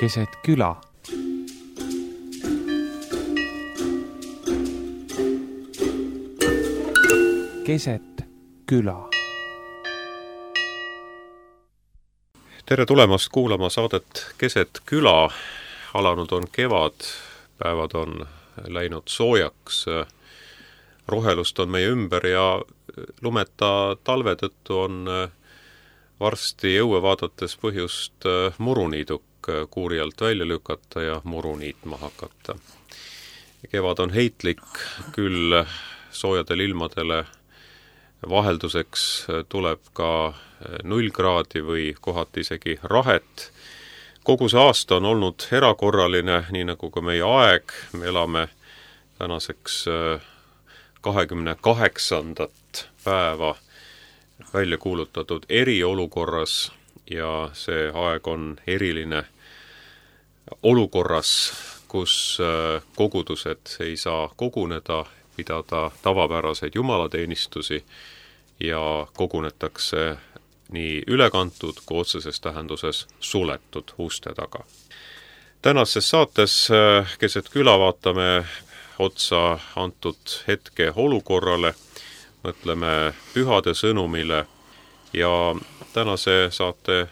keset küla. Keset küla. Tere tulemast kuulama saadet Keset küla. Alanud on kevad, päevad on läinud soojaks, rohelust on meie ümber ja lumeta talve tõttu on varsti õue vaadates põhjust muruniiduk kuuri alt välja lükata ja muru niitma hakata. Kevad on heitlik, küll soojadel ilmadele vahelduseks tuleb ka 0 kraadi või kohati isegi rahet. Kogu see aasta on olnud erakorraline, nii nagu ka meie aeg. Me elame tänaseks 28. päeva välja kuulutatud eriolukorras ja see aeg on eriline olukorras, kus kogudused ei saa koguneda, pidada tavapäraseid jumalateenistusi ja kogunetakse nii ülekantud kui otseses tähenduses suletud uste taga. Tänases saates Keset küla vaatame otsa antud hetke olukorrale, mõtleme pühade sõnumile ja tänase saate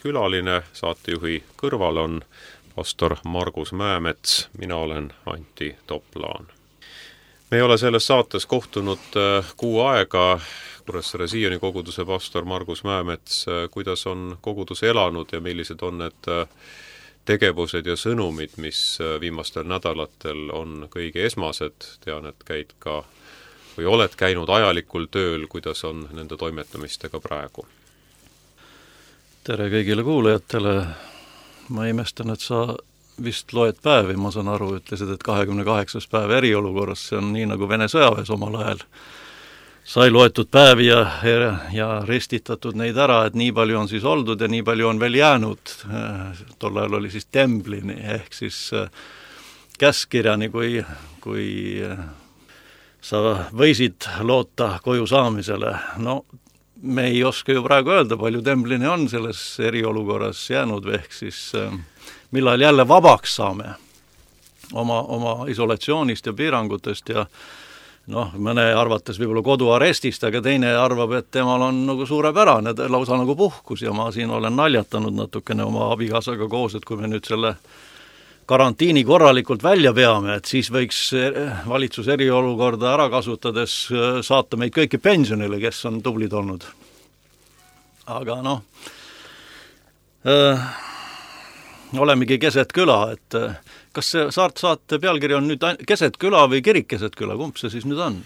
külaline saatejuhi kõrval on pastor Margus Mäemets, mina olen Antti Toplaan. Me ei ole selles saates kohtunud kuu aega. Kuressaare Sioni koguduse pastor Margus Mäemets, kuidas on kogudus elanud ja millised on need tegevused ja sõnumid, mis viimastel nädalatel on kõige esmased. Tean, et käid ka või oled käinud ajalikul tööl, kuidas on nende toimetamistega praegu? Tere kõigile kuulajatele. Ma imestan, et sa vist loed päevi, ma saan aru, ütlesid, et 28. päev eriolukorras, see on nii nagu Vene sõjaväes omal ajal. Sai loetud päevi ja ristitatud neid ära, et nii palju on siis oldud ja nii palju on veel jäänud. Tol ajal oli siis temblini ehk siis käskirjani, kui sa võisid loota koju saamisele. No me ei oska ju praegu öelda, palju temblini on selles eriolukorras jäänud ehk siis millal jälle vabaks saame oma isolatsioonist ja piirangutest ja mõne arvates võib-olla koduarestist, aga teine arvab, et temal on nagu suurepärane, lausa nagu puhkus ja ma siin olen naljatanud natukene oma abikaasaga koos, et kui me nüüd selle karantiini korralikult välja peame, et siis võiks valitsus eriolukorda ära kasutades saata meid kõiki pensionile, kes on tublid olnud. Aga olemegi keset küla, et kas see saate pealkiri on nüüd keset küla või kirik keset küla, kumb see siis nüüd on?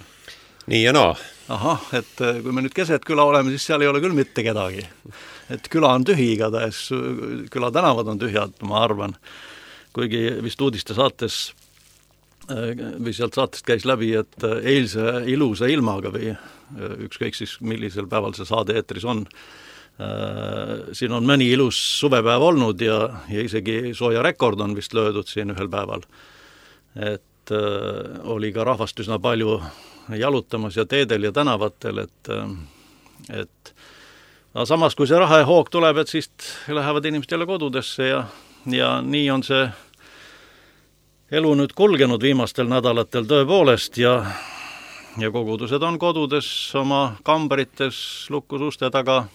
Nii ja naa. Ahah, et kui me nüüd keset küla oleme, siis seal ei ole küll mitte kedagi. Et küla on tühi igatahes, küla tänavad on tühjad, ma arvan. Kuigi vist uudiste saates või sealt saatest käis läbi, et eilse ilusa ilmaga või ükskõik siis millisel päeval see saade eetris on, siin on mõni ilus suvepäev olnud ja isegi sooja rekord on vist löödud siin ühel päeval. Et oli ka rahvast üsna palju jalutamas ja teedel ja tänavatel, et samas kui see raha ja hoog tuleb, et siis lähevad inimesed jälle kodudesse ja nii on see elu nüüd kulgenud viimastel nädalatel tõepoolest ja kogudused on kodudes oma kambarites lukus uste taga,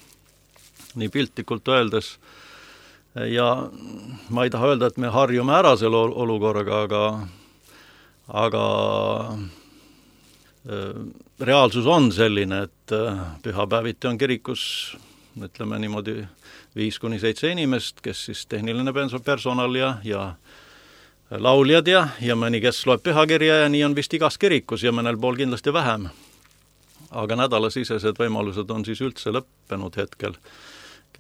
nii piltlikult öeldes. Ja ma ei taha öelda, et me harjume ära selle olukorraga, aga reaalsus on selline, et pühapäeviti on kirikus, ütleme niimoodi 5-7 inimest, kes siis tehniline personal ja lauljad ja mõni, kes loeb pühakirja ja nii on vist igas kirikus ja mõnel pool kindlasti vähem. Aga nädalasisesed võimalused on siis üldse lõppenud hetkel.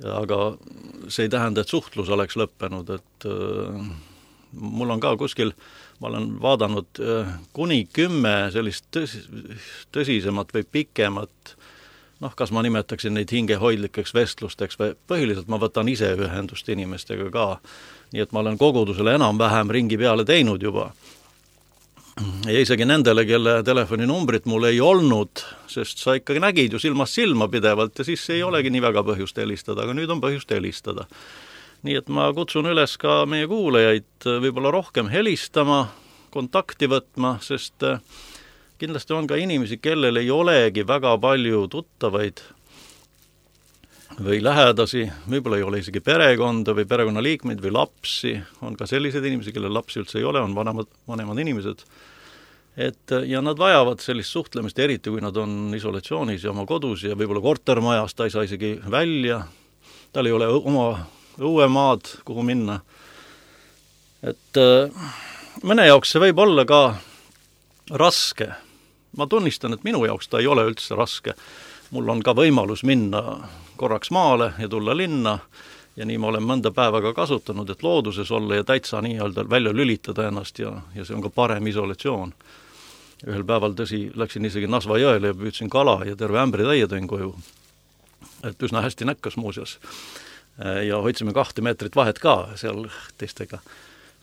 Aga see ei tähenda, et suhtlus oleks lõppenud, et mul on ka kuskil, ma olen vaadanud kuni 10 sellist tõsisemat või pikemat, kas ma nimetaksin neid hingehoidlikeks vestlusteks või põhiliselt ma võtan ise ühendust inimestega ka, nii et ma olen kogudusele enam-vähem ringi peale teinud juba. Ja isegi nendele, kelle telefoninumbrit mul ei olnud, sest sa ikkagi nägid ju silmast silma pidevalt ja siis ei olegi nii väga põhjust helistada, aga nüüd on põhjust helistada. Nii et ma kutsun üles ka meie kuulajaid võib-olla rohkem helistama, kontakti võtma, sest kindlasti on ka inimesi, kellel ei olegi väga palju tuttavaid või lähedasi, võib-olla ei ole isegi perekonda või perekonnaliikmeid või lapsi, on ka selliseid inimesi, kellel lapsi üldse ei ole, on vanemad inimesed. Ja nad vajavad sellist suhtlemist, eriti kui nad on isolatsioonis ja oma kodus ja võib-olla kortermajas, ta ei saa isegi välja, tal ei ole oma õuemaad, kuhu minna. Et mõne jaoks see võib olla ka raske. Ma tunnistan, et minu jaoks ta ei ole üldse raske. Mul on ka võimalus minna korraks maale ja tulla linna ja nii ma olen mõnda päeva ka kasutanud, et looduses olla ja täitsa nii-öelda välja lülitada ennast ja see on ka parem isolatsioon. Ühel päeval tõsi, läksin isegi Nasva jõele ja püüdsin kala ja terve ämbri täie tõin koju. Et üsna hästi näkkas muuseas. Ja hoidsime 2 meetrit vahet ka seal teistega.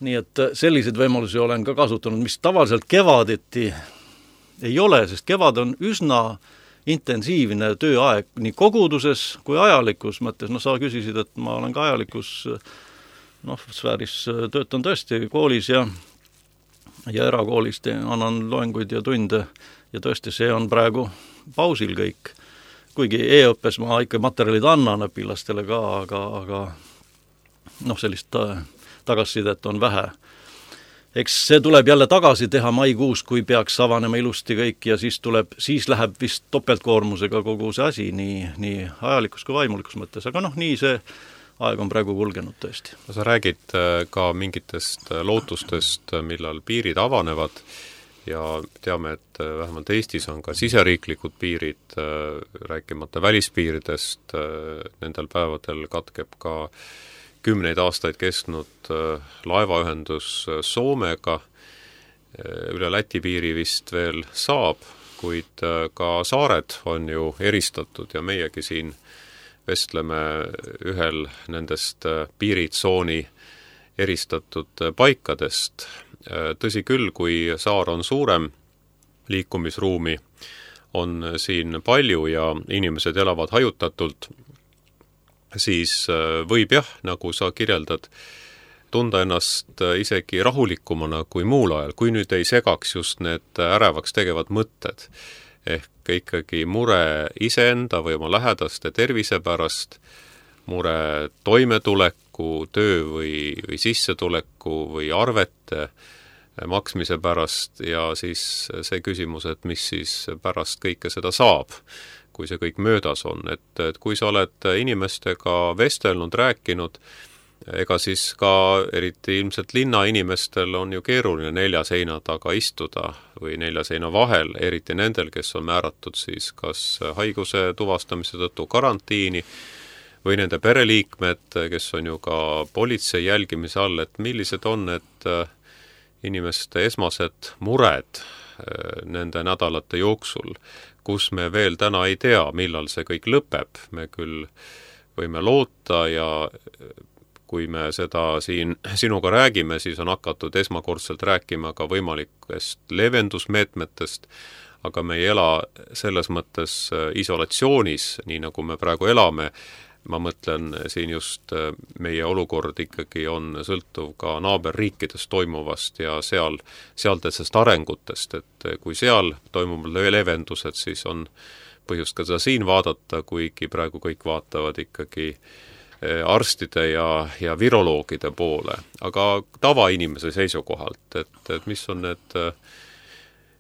Nii et selliseid võimalusi olen ka kasutanud, mis tavaliselt kevadeti ei ole, sest kevad on üsna intensiivne tööaeg nii koguduses kui ajalikus mõttes. Sa küsisid, et ma olen ka ajalikus sfääris töötan tõesti koolis ja erakoolist annan loenguid ja tunde ja tõesti see on praegu pausil kõik. Kuigi e-õppes ma ikka materjalid annan õpilastele ka, aga sellist tagasisidet on vähe. Eks see tuleb jälle tagasi teha maikuus, kui peaks avanema ilusti kõik ja siis läheb vist topeltkoormusega kogu see asi nii ajalikus kui vaimulikus mõttes, aga nii see aeg on praegu kulgenud tõesti. Sa räägid ka mingitest lootustest, millal piirid avanevad ja teame, et vähemalt Eestis on ka siseriiklikud piirid, rääkimata välispiiridest, nendel päevadel katkeb ka 10 aastaid kestnud laevaühendus Soomega, üle Läti piiri vist veel saab, kuid ka saared on ju eristatud ja meiegi siin vestleme ühel nendest piiritsooni eristatud paikadest. Tõsi küll, kui saar on suurem, liikumisruumi on siin palju ja inimesed elavad hajutatult, siis võib nagu sa kirjeldad, tunda ennast isegi rahulikumana kui muul ajal, kui nüüd ei segaks just need ärevaks tegevad mõtted. Ehk ikkagi mure iseenda või oma lähedaste tervise pärast, mure toimetuleku, töö või sissetuleku või arvete maksmise pärast ja siis see küsimus, et mis siis pärast kõike seda saab, kui see kõik möödas on. Et kui sa oled inimestega vestelnud, rääkinud, ega siis ka eriti ilmselt linna inimestel on ju keeruline 4 seina taga istuda või 4 seina vahel, eriti nendel, kes on määratud siis kas haiguse tuvastamise tõttu karantiini või nende pereliikmed, kes on ju ka politsei jälgimise all, et millised on need inimeste esmased mured nende nädalate jooksul, kus me veel täna ei tea, millal see kõik lõpeb. Me küll võime loota ja kui me seda siin sinuga räägime, siis on hakatud esmakordselt rääkima ka võimalikest leevendusmeetmetest, aga me ei ela selles mõttes isolatsioonis, nii nagu me praegu elame. Ma mõtlen siin just meie olukord ikkagi on sõltuv ka naaberriikides toimuvast ja sealtest arengutest, et kui seal toimuvad leevendused, siis on põhjust ka seda siin vaadata, kuigi praegu kõik vaatavad ikkagi arstide ja viroloogide poole, aga tavainimese seisukohalt, et mis on need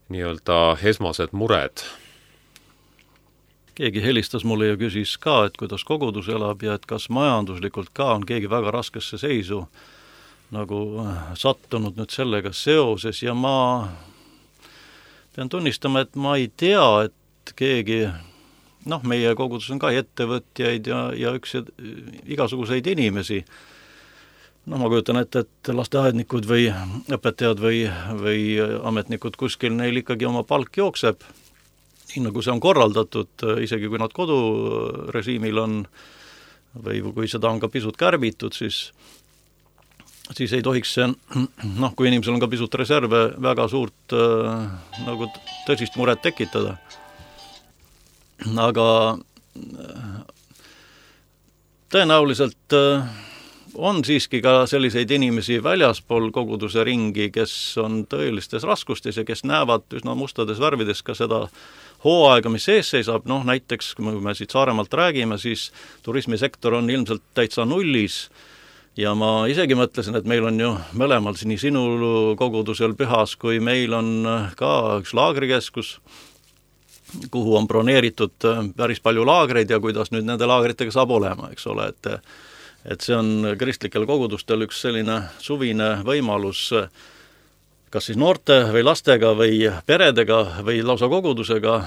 nii-öelda esmased mured? Keegi helistas mulle ja küsis ka, et kuidas kogudus elab ja et kas majanduslikult ka on keegi väga raskesse seisu nagu sattunud nüüd sellega seoses ja ma pean tunnistama, et ma ei tea, et keegi meie kogudus on ka ettevõtjaid ja igasuguseid inimesi. Ma kujutan ette, et lasteaednikud või õpetajad või ametnikud kuskil neil ikkagi oma palk jookseb, nii nagu see on korraldatud, isegi kui nad kodurežiimil on või kui seda on ka pisut kärbitud, siis ei tohiks see, kui inimesel on ka pisut reserve, väga suurt nagu tõsist muret tekitada. Aga tõenäoliselt on siiski ka selliseid inimesi väljaspool koguduse ringi, kes on tõelistes raskustes ja kes näevad üsna mustades värvides ka seda hooaega, mis ees seisab, näiteks kui me siit Saaremaalt räägime, siis turismisektor on ilmselt täitsa nullis ja ma isegi mõtlesin, et meil on ju mõlemal nii sinul kogudusel Pühas, kui meil on ka üks laagrikeskus, kuhu on broneeritud päris palju laagreid ja kuidas nüüd nende laagritega saab olema, eks ole, et see on kristlikel kogudustel üks selline suvine võimalus kas siis noorte või lastega või peredega või lausa kogudusega,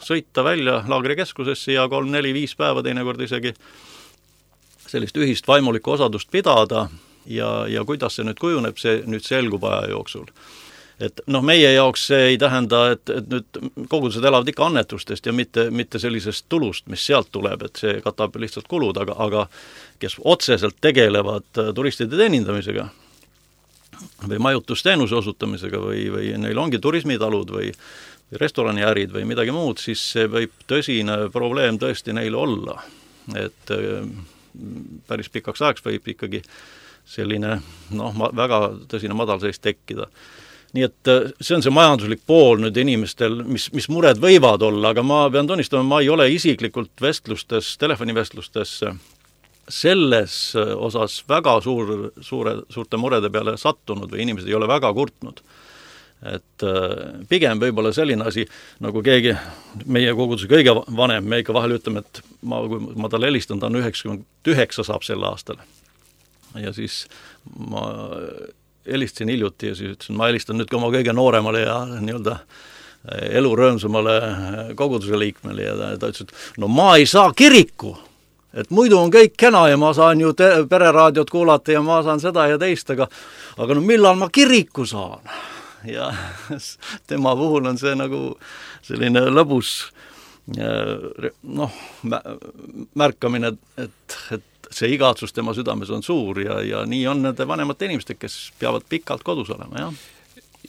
sõita välja laagrikeskusesse ja 3, 4, 5 päeva teinekord isegi sellist ühist vaimulikku osadust pidada ja kuidas see nüüd kujuneb, see nüüd selgub aja jooksul. Et meie jaoks see ei tähenda, et nüüd kogudused elavad ikka annetustest ja mitte sellisest tulust, mis sealt tuleb, et see katab lihtsalt kulud, aga kes otseselt tegelevad turistide teenindamisega või majutusteenuse osutamisega või neil ongi turismitalud või restoraniärid või midagi muud, siis see võib tõsine probleem tõesti neil olla. Et päris pikaks ajaks võib ikkagi selline väga tõsine madalseis tekkida. Nii et see on see majanduslik pool nüüd inimestel, mis mured võivad olla, aga ma pean tunnistama, ma ei ole isiklikult telefonivestlustes selles osas väga suurte murede peale sattunud või inimesed ei ole väga kurtnud. Et pigem võib-olla selline asi, nagu keegi meie koguduse kõige vanem, me ikka vahel ütleme, et kui ma talle helistan, ta on 99 saab sel aastal. Ja siis ma helistasin hiljuti ja siis ütlesin, ma helistan nüüd ka oma kõige nooremale ja nii-öelda elurõõmsamale koguduse liikmele ja ta ütles, et ma ei saa kiriku, et muidu on kõik kena ja ma saan ju pereraadiot kuulata ja ma saan seda ja teist, aga millal ma kiriku saan? Ja tema puhul on see nagu selline lõbus märkamine, et see igatsus tema südames on suur ja nii on nende vanemate inimeste, kes peavad pikalt kodus olema, jah.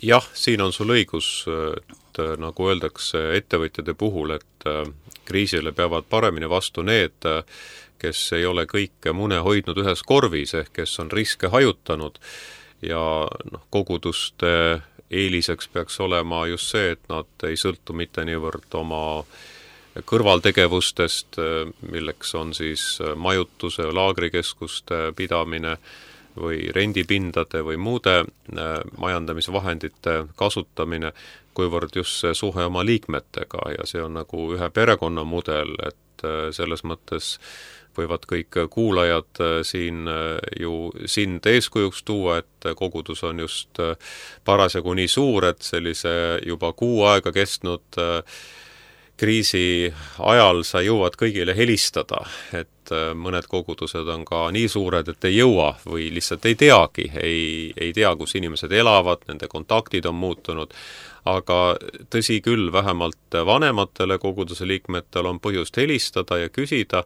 Jah, siin on sul õigus, et nagu öeldakse ettevõtjate puhul, et kriisile peavad paremini vastu need, kes ei ole kõike mune hoidnud ühes korvis, ehk kes on riske hajutanud ja koguduste eeliseks peaks olema just see, et nad ei sõltu mitte niivõrd oma kõrvaltegevustest, milleks on siis majutuse, laagrikeskuste pidamine või rendipindade või muude majandamisvahendite kasutamine, kuivõrd just see suhe oma liikmetega ja see on nagu ühe perekonna mudel, et selles mõttes võivad kõik kuulajad siin ju sind eeskujuks tuua, et kogudus on just parasjagu nii suur, et sellise juba kuu aega kestnud kriisi ajal sa jõuad kõigile helistada, et mõned kogudused on ka nii suured, et ei jõua või lihtsalt ei teagi, ei tea, kus inimesed elavad, nende kontaktid on muutunud, aga tõsi küll, vähemalt vanematele koguduse liikmetel on põhjust helistada ja küsida,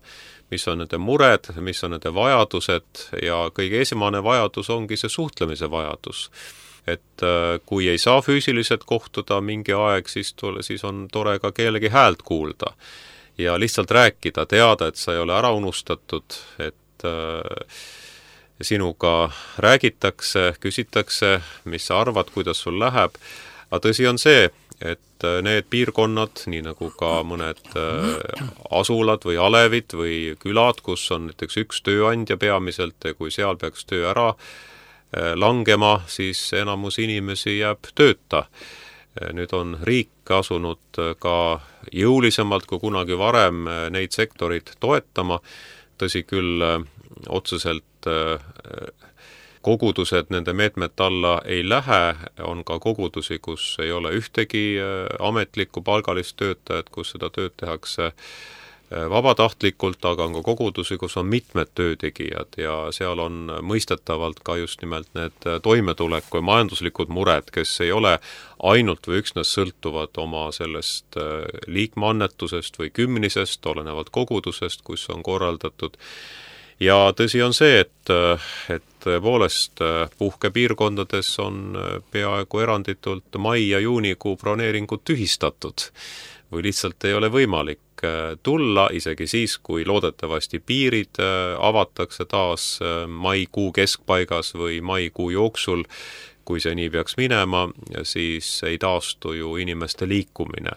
mis on nende mured, mis on nende vajadused ja kõige esimene vajadus ongi see suhtlemise vajadus. Et kui ei saa füüsiliselt kohtuda mingi aeg, siis on tore ka kellegi häält kuulda ja lihtsalt rääkida, teada, et sa ei ole ära unustatud, et sinuga räägitakse, küsitakse, mis sa arvad, kuidas sul läheb, aga tõsi on see, et need piirkonnad, nii nagu ka mõned asulad või alevid või külad, kus on näiteks üks tööandja peamiselt ja kui seal peaks töö ära langema, siis enamus inimesi jääb tööta. Nüüd on riik asunud ka jõulisemalt kui kunagi varem neid sektorid toetama, tõsi küll otseselt kogudused nende meetmete alla ei lähe, on ka kogudusi, kus ei ole ühtegi ametlikku palgalist töötajat, kus seda tööd tehakse vabatahtlikult, aga on ka kogudusi, kus on mitmed töötegijad ja seal on mõistetavalt ka just nimelt need toimetuleku ja majanduslikud mured, kes ei ole ainult või üksnes sõltuvad oma sellest liikmeannetusest või kümnisest, olenevalt kogudusest, kus on korraldatud. Ja tõsi on see, et tõepoolest puhkepiirkondades on peaaegu eranditult mai- ja juunikuu broneeringud tühistatud või lihtsalt ei ole võimalik tulla, isegi siis, kui loodetavasti piirid avatakse taas maikuu keskpaigas või maikuu jooksul, kui see nii peaks minema, siis ei taastu ju inimeste liikumine,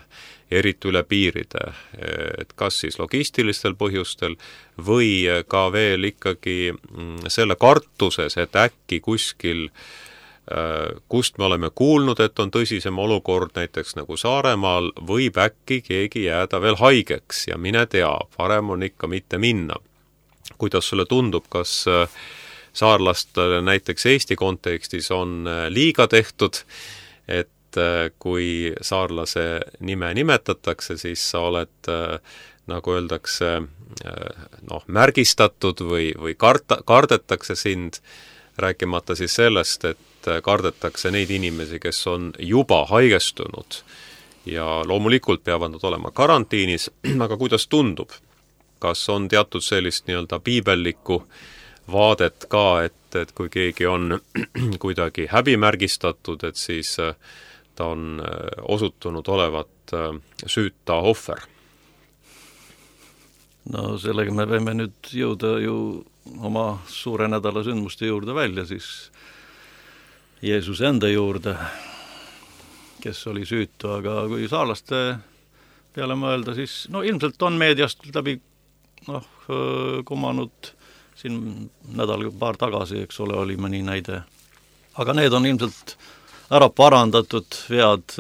eriti üle piiride, et kas siis logistilistel põhjustel või ka veel ikkagi selle kartuses, et äkki kuskil kust me oleme kuulnud, et on tõsisem olukord, näiteks nagu Saaremaal, võib äkki keegi jääda veel haigeks ja mine tea, parem on ikka mitte minna. Kuidas sulle tundub, kas saarlastele näiteks Eesti kontekstis on liiga tehtud, et kui saarlase nime nimetatakse, siis sa oled, nagu öeldakse, märgistatud või kardetakse sind, rääkimata siis sellest, et kardetakse neid inimesi, kes on juba haigestunud ja loomulikult peavad nad olema karantiinis, aga kuidas tundub? Kas on teatud sellist nii-öelda piibellikku vaadet ka, et kui keegi on kuidagi häbimärgistatud, et siis ta on osutunud olevat süüta ohver? No sellega me võime nüüd jõuda ju oma suure nädala sündmuste juurde välja, siis Jeesuse enda juurde, kes oli süütu, aga kui saarlaste peale mõelda, siis ilmselt on meediast läbi kumanud siin paar tagasi, eks ole, oli mõni näide. Aga need on ilmselt ära parandatud vead,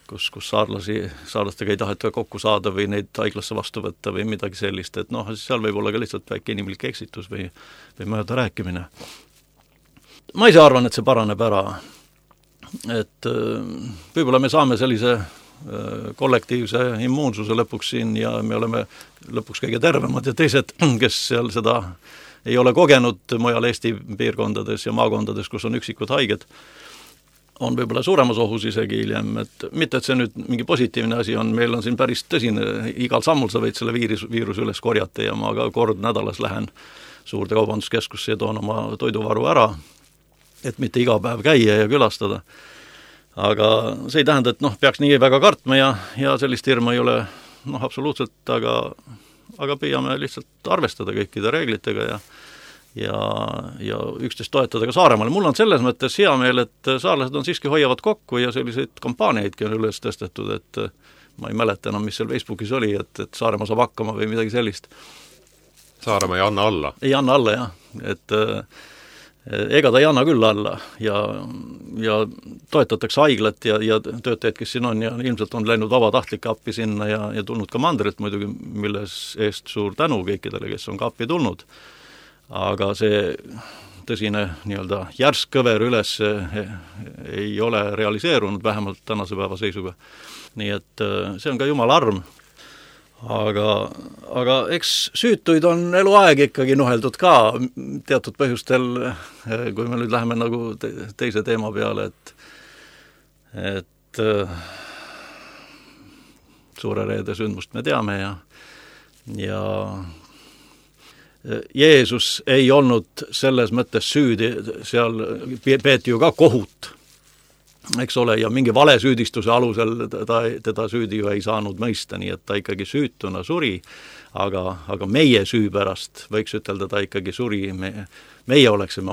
kus saarlastega ei taheta kokku saada või neid haiglasse vastu võtta või midagi sellist, et seal võib olla ka lihtsalt väike inimlik eksitus või mööda rääkimine. Ma ise arvan, et see paraneb ära, et võib-olla me saame sellise kollektiivse immuunsuse lõpuks siin ja me oleme lõpuks kõige tervemad ja teised, kes seal seda ei ole kogenud mujal Eesti piirkondades ja maakondades, kus on üksikud haiged, on võib-olla suuremas ohus isegi hiljem, et mitte, et see nüüd mingi positiivne asi on, meil on siin päris tõsine, igal sammul sa võid selle viiruse üles korjata ja ma ka kord nädalas lähen suurde kaubanduskeskusse ja toon oma toiduvaru ära, et mitte iga päev käia ja külastada. Aga see ei tähenda, et peaks nii väga kartma ja sellist hirmu ei ole absoluutselt, aga püüame lihtsalt arvestada kõikide reeglitega ja üksteist toetada ka Saaremaal. Mul on selles mõttes hea meel, et saarlased on siiski hoiavad kokku ja selliseid kampaaniaidki on üles tõstetud, et ma ei mäleta enam, mis seal Facebookis oli, et Saaremaa saab hakkama või midagi sellist. Saaremaa ei anna alla? Ei anna alla, jah. Et ega ta ei anna küll alla ja toetatakse haiglat ja töötajad, kes siin on ja ilmselt on läinud vabatahtlike appi sinna ja tulnud ka mandrilt muidugi, milles eest suur tänu kõikidele, kes on ka appi tulnud. Aga see tõsine nii-öelda järsk kõver üles ei ole realiseerunud vähemalt tänase päeva seisuga. Nii et see on ka jumala arm. Aga eks süütuid on eluaeg ikkagi nuheldud ka teatud põhjustel, kui me nüüd läheme nagu teise teema peale, et suure reede sündmust me teame ja Jeesus ei olnud selles mõttes süüdi, seal peeti ju ka kohut, eks ole, ja mingi vale süüdistuse alusel teda süüdi ju ei saanud mõista, nii et ta ikkagi süütuna suri, aga meie süü pärast võiks ütelda, ta ikkagi suri, meie oleksime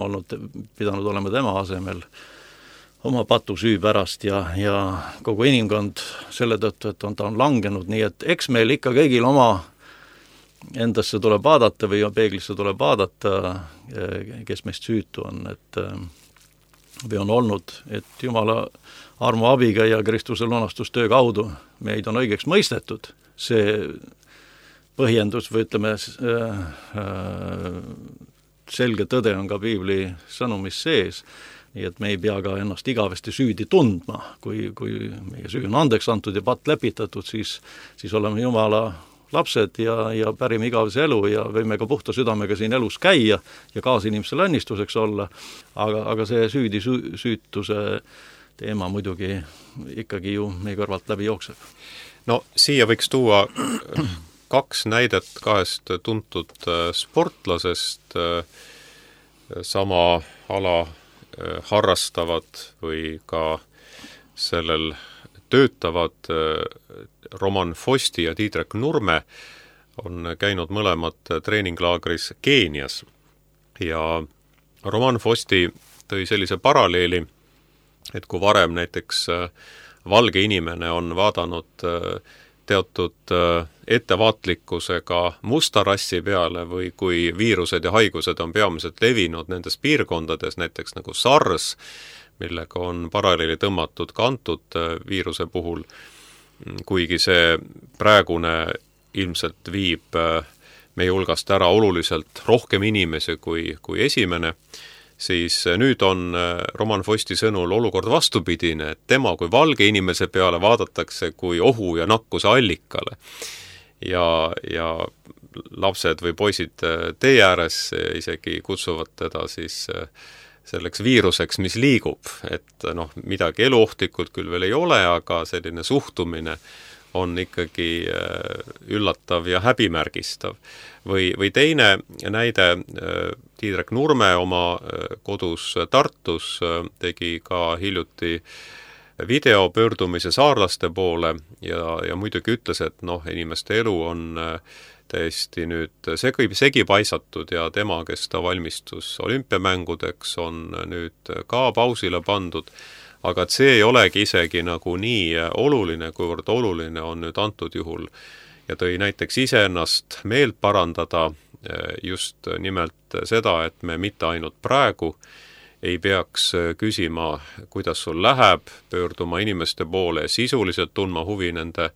pidanud olema tema asemel oma patu süü pärast ja kogu inimkond selle tõttu, et ta on langenud, nii et eks meil ikka kõigil oma endasse tuleb vaadata või peeglisse tuleb vaadata, kes meist süütu on, või on olnud, et Jumala armu abiga ja Kristuse lunastustöö kaudu meid on õigeks mõistetud. See põhjendus või ütleme, selge tõde on ka piibli sõnumis sees, nii et me ei pea ka ennast igavesti süüdi tundma. Kui meie süü on andeks antud ja patt lepitatud, siis oleme Jumala lapsed ja pärime igavese elu ja võime ka puhta südamega siin elus käia ja kaasinimesele õnnistuseks olla, aga see süütuse teema muidugi ikkagi ju meie kõrvalt läbi jookseb. No siia võiks tuua 2 näidet 2 tuntud sportlasest, sama ala harrastavad või ka sellel töötavad, Roman Fosti ja Tiidrek Nurme, on käinud mõlemad treeninglaagris Keenias ja Roman Fosti tõi sellise paralleeli, et kui varem näiteks valge inimene on vaadanud teatud ettevaatlikkusega musta rassi peale või kui viirused ja haigused on peamiselt levinud nendes piirkondades, näiteks nagu SARS, millega on paralleeli tõmmatud ka antud viiruse puhul, kuigi see praegune ilmselt viib meie hulgast ära oluliselt rohkem inimesi kui esimene, siis nüüd on Roman Fosti sõnul olukord vastupidine, et tema kui valge inimese peale vaadatakse kui ohu ja nakkuse allikale. Ja lapsed või poisid tee ääres isegi kutsuvad teda siis selleks viiruseks, mis liigub, et midagi eluohtlikult küll veel ei ole, aga selline suhtumine on ikkagi üllatav ja häbimärgistav. Või teine näide, Tiidrek Nurme oma kodus Tartus tegi ka hiljuti video pöördumise saarlaste poole ja muidugi ütles, et inimeste elu on täiesti nüüd segi paisatud ja tema, kes ta valmistus olümpiamängudeks, on nüüd ka pausile pandud, aga et see ei olegi isegi nagu nii oluline, kuivõrd oluline on nüüd antud juhul ja tõi näiteks iseennast meelt parandada just nimelt seda, et me mitte ainult praegu ei peaks küsima, kuidas sul läheb, pöörduma inimeste poole ja sisuliselt tundma huvi nende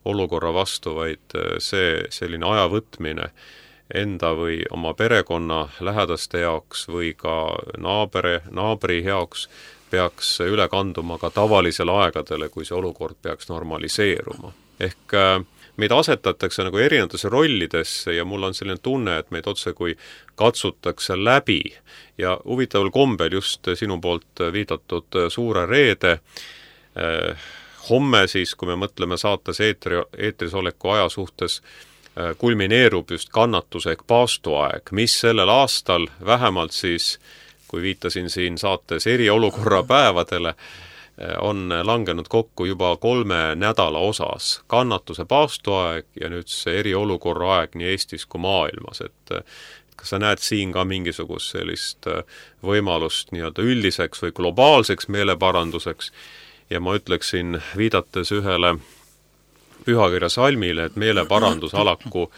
olukorra vastu, vaid see selline aja võtmine enda või oma perekonna lähedaste jaoks või ka naabri jaoks peaks üle kanduma ka tavalisele aegadele, kui see olukord peaks normaliseeruma. Ehk meid asetatakse nagu erinevatesse rollidesse ja mul on selline tunne, et meid otse kui katsutakse läbi ja huvitaval kombel just sinu poolt viidatud Suure Reede homme siis, kui me mõtleme saates eetris oleku aja suhtes, kulmineerub just kannatuse ehk paastuaeg, mis sellel aastal vähemalt siis, kui viitasin siin saates eriolukorra päevadele, on langenud kokku juba 3 nädala osas. Kannatuse paastuaeg ja nüüd see eriolukorra aeg nii Eestis kui maailmas. Et kas sa näed siin ka mingisugust sellist võimalust nii-öelda üldiseks või globaalseks meeleparanduseks? Ja ma ütleksin, viidates ühele pühakirja salmile, et meeleparandus alaku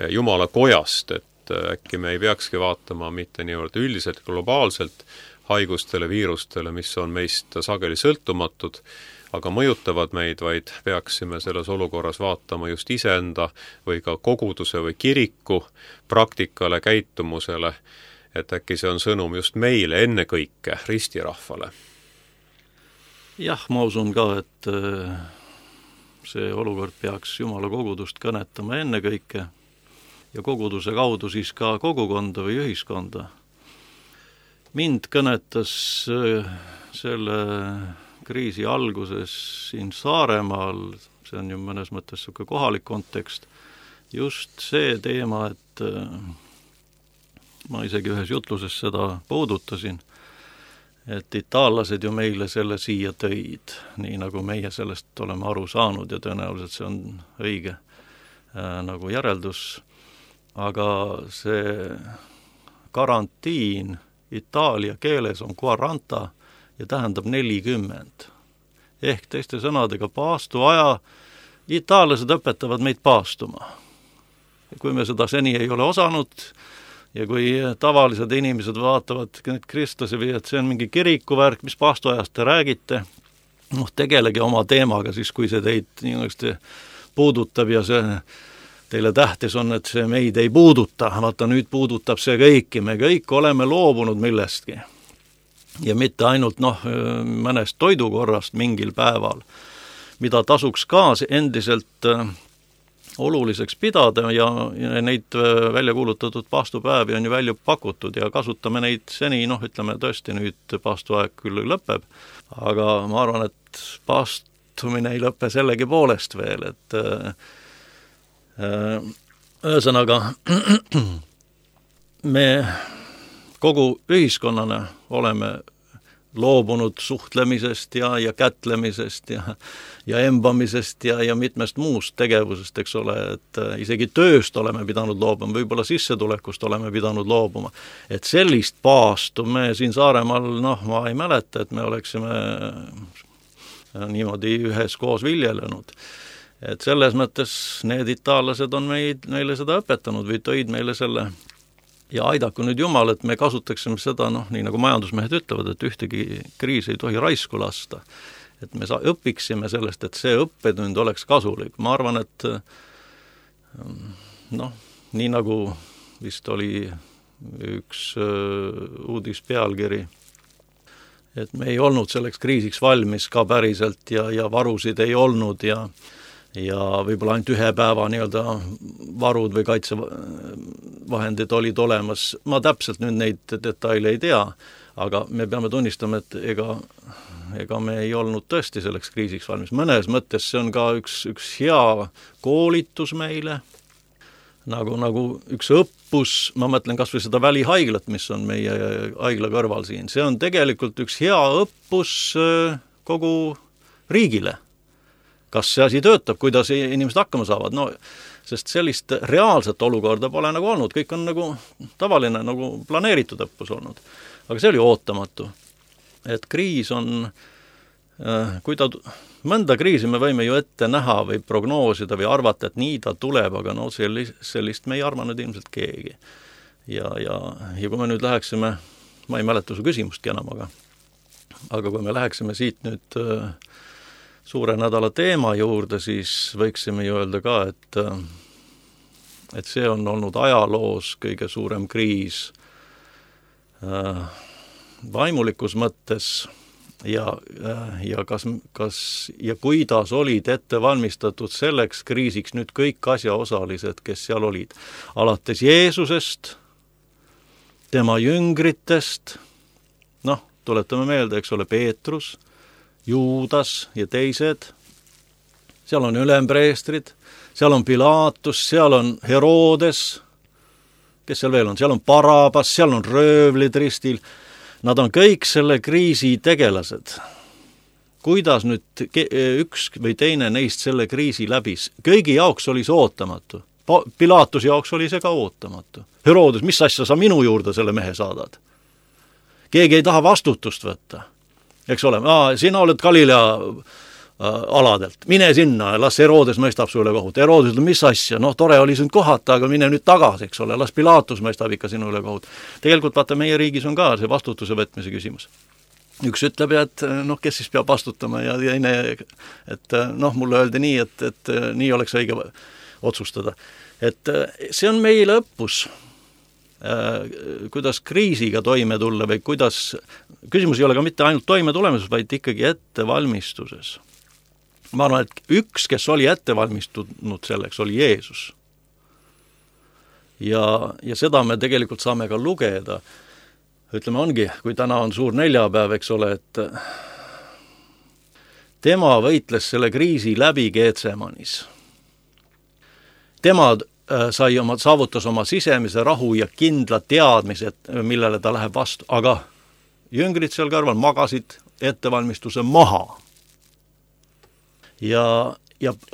Jumala kojast, et äkki me ei peakski vaatama mitte niivõrd üldiselt globaalselt haigustele, viirustele, mis on meist sageli sõltumatud, aga mõjutavad meid, vaid peaksime selles olukorras vaatama just iseenda või ka koguduse või kiriku praktikale, käitumusele, et äkki see on sõnum just meile ennekõike, ristirahvale. Jah, ma usun ka, et see olukord peaks Jumala kogudust kõnetama ennekõike ja koguduse kaudu siis ka kogukonda või ühiskonda. Mind kõnetas selle kriisi alguses siin Saaremaal, see on ju mõnes mõttes kohalik kontekst, just see teema, et ma isegi ühes jutluses seda puudutasin, et itaallased ju meile selle siia tõid, nii nagu meie sellest oleme aru saanud ja tõenäoliselt see on õige nagu järeldus, aga see karantiin Itaalia keeles on quaranta ja tähendab 40. Ehk teiste sõnadega paastuaja, itaallased õpetavad meid paastuma. Kui me seda seni ei ole osanud ja kui tavalised inimesed vaatavad need kristlasi või et see on mingi kirikuvärk, mis paastuajast te räägite, tegelegi oma teemaga siis, kui see teid puudutab ja see teile tähtis on, et see meid ei puuduta, vaata nüüd puudutab see kõiki, me kõik oleme loobunud millestki. Ja mitte ainult mõnest toidukorrast mingil päeval, mida tasuks ka endiselt oluliseks pidada ja neid välja kuulutatud paastupäevi on ju välja pakutud ja kasutame neid seni, ütleme tõesti nüüd paastuaeg küll lõpeb, aga ma arvan, et paastumine ei lõpe sellegi poolest veel, et ühesõnaga me kogu ühiskonnana oleme loobunud suhtlemisest ja kätlemisest ja embamisest ja mitmest muust tegevusest, eks ole, et isegi tööst oleme pidanud loobuma, võib-olla sissetulekust oleme pidanud loobuma. Et sellist paastu me siin Saaremaal, ma ei mäleta, et me oleksime niimoodi üheskoos viljelenud. Et selles mõttes need itaallased on meile seda õpetanud või tõid meile selle. Ja aidaku nüüd Jumal, et me kasutaksime seda, nii nagu majandusmehed ütlevad, et ühtegi kriisi ei tohi raisku lasta. Et me õpiksime sellest, et see õppetund oleks kasulik. Ma arvan, et nii nagu vist oli üks uudispealkiri, et me ei olnud selleks kriisiks valmis ka päriselt ja varusid ei olnud ja võib-olla ainult ühe päeva varud või kaitsevahendid olid olemas. Ma täpselt nüüd neid detaile ei tea, aga me peame tunnistama, et ega me ei olnud tõesti selleks kriisiks valmis. Mõnes mõttes see on ka üks hea koolitus meile, nagu üks õppus, ma mõtlen kas või seda välihaiglat, mis on meie haigla kõrval siin. See on tegelikult üks hea õppus kogu riigile. Kas see asi töötab, kuidas inimesed hakkama saavad, sest sellist reaalset olukorda pole nagu olnud, kõik on nagu tavaline, nagu planeeritud õppus olnud. Aga see oli ootamatu. Et kriis on, mõnda kriisi me võime ju ette näha või prognoosida või arvata, et nii ta tuleb, aga sellist me ei arvanud ilmselt keegi. Ja kui me nüüd läheksime, ma ei mäleta su küsimustki enam, aga kui me läheksime siit nüüd suure nädala teema juurde, siis võiksime ju öelda ka, et see on olnud ajaloos kõige suurem kriis vaimulikus mõttes ja kuidas olid ette valmistatud selleks kriisiks nüüd kõik asjaosalised, kes seal olid. Alates Jeesusest, tema jüngritest, tuletame meelde, eks ole, Peetrus, Juudas ja teised, seal on ülempreestrid, seal on Pilaatus, seal on Herodes, kes seal veel on, seal on Barabas, seal on röövlid ristil, nad on kõik selle kriisi tegelased. Kuidas nüüd üks või teine neist selle kriisi läbis? Kõigi jaoks oli see ootamatu. Pilaatus jaoks oli see ka ootamatu. Herodes, mis asja sa minu juurde selle mehe saadad? Keegi ei taha vastutust võtta. Eks ole, sina oled Galilea aladelt, mine sinna, las Herodes mõistab sulle kohut. Herodes ütleb, mis asja, tore oli sind kohata, aga mine nüüd tagasi, eks ole, las Pilaatus mõistab ikka sinule kohut. Tegelikult vaata, meie riigis on ka see vastutuse võtmise küsimus. Üks ütleb, et kes siis peab vastutama ja teine, et mulle öeldi nii, et nii oleks õige otsustada. Et see on meile õppus, kuidas kriisiga toime tulla või kuidas, küsimus ei ole ka mitte ainult toime tulemises, vaid ikkagi ettevalmistuses. Ma arvan, et üks, kes oli ettevalmistunud selleks, oli Jeesus. Ja seda me tegelikult saame ka lugeda. Ütleme, ongi, kui täna on suur neljapäev, eks ole, et tema võitles selle kriisi läbi Geetsemanis. Tema saavutas oma sisemise rahu ja kindla teadmised, millele ta läheb vastu, aga jüngrid seal kõrval magasid ettevalmistuse maha ja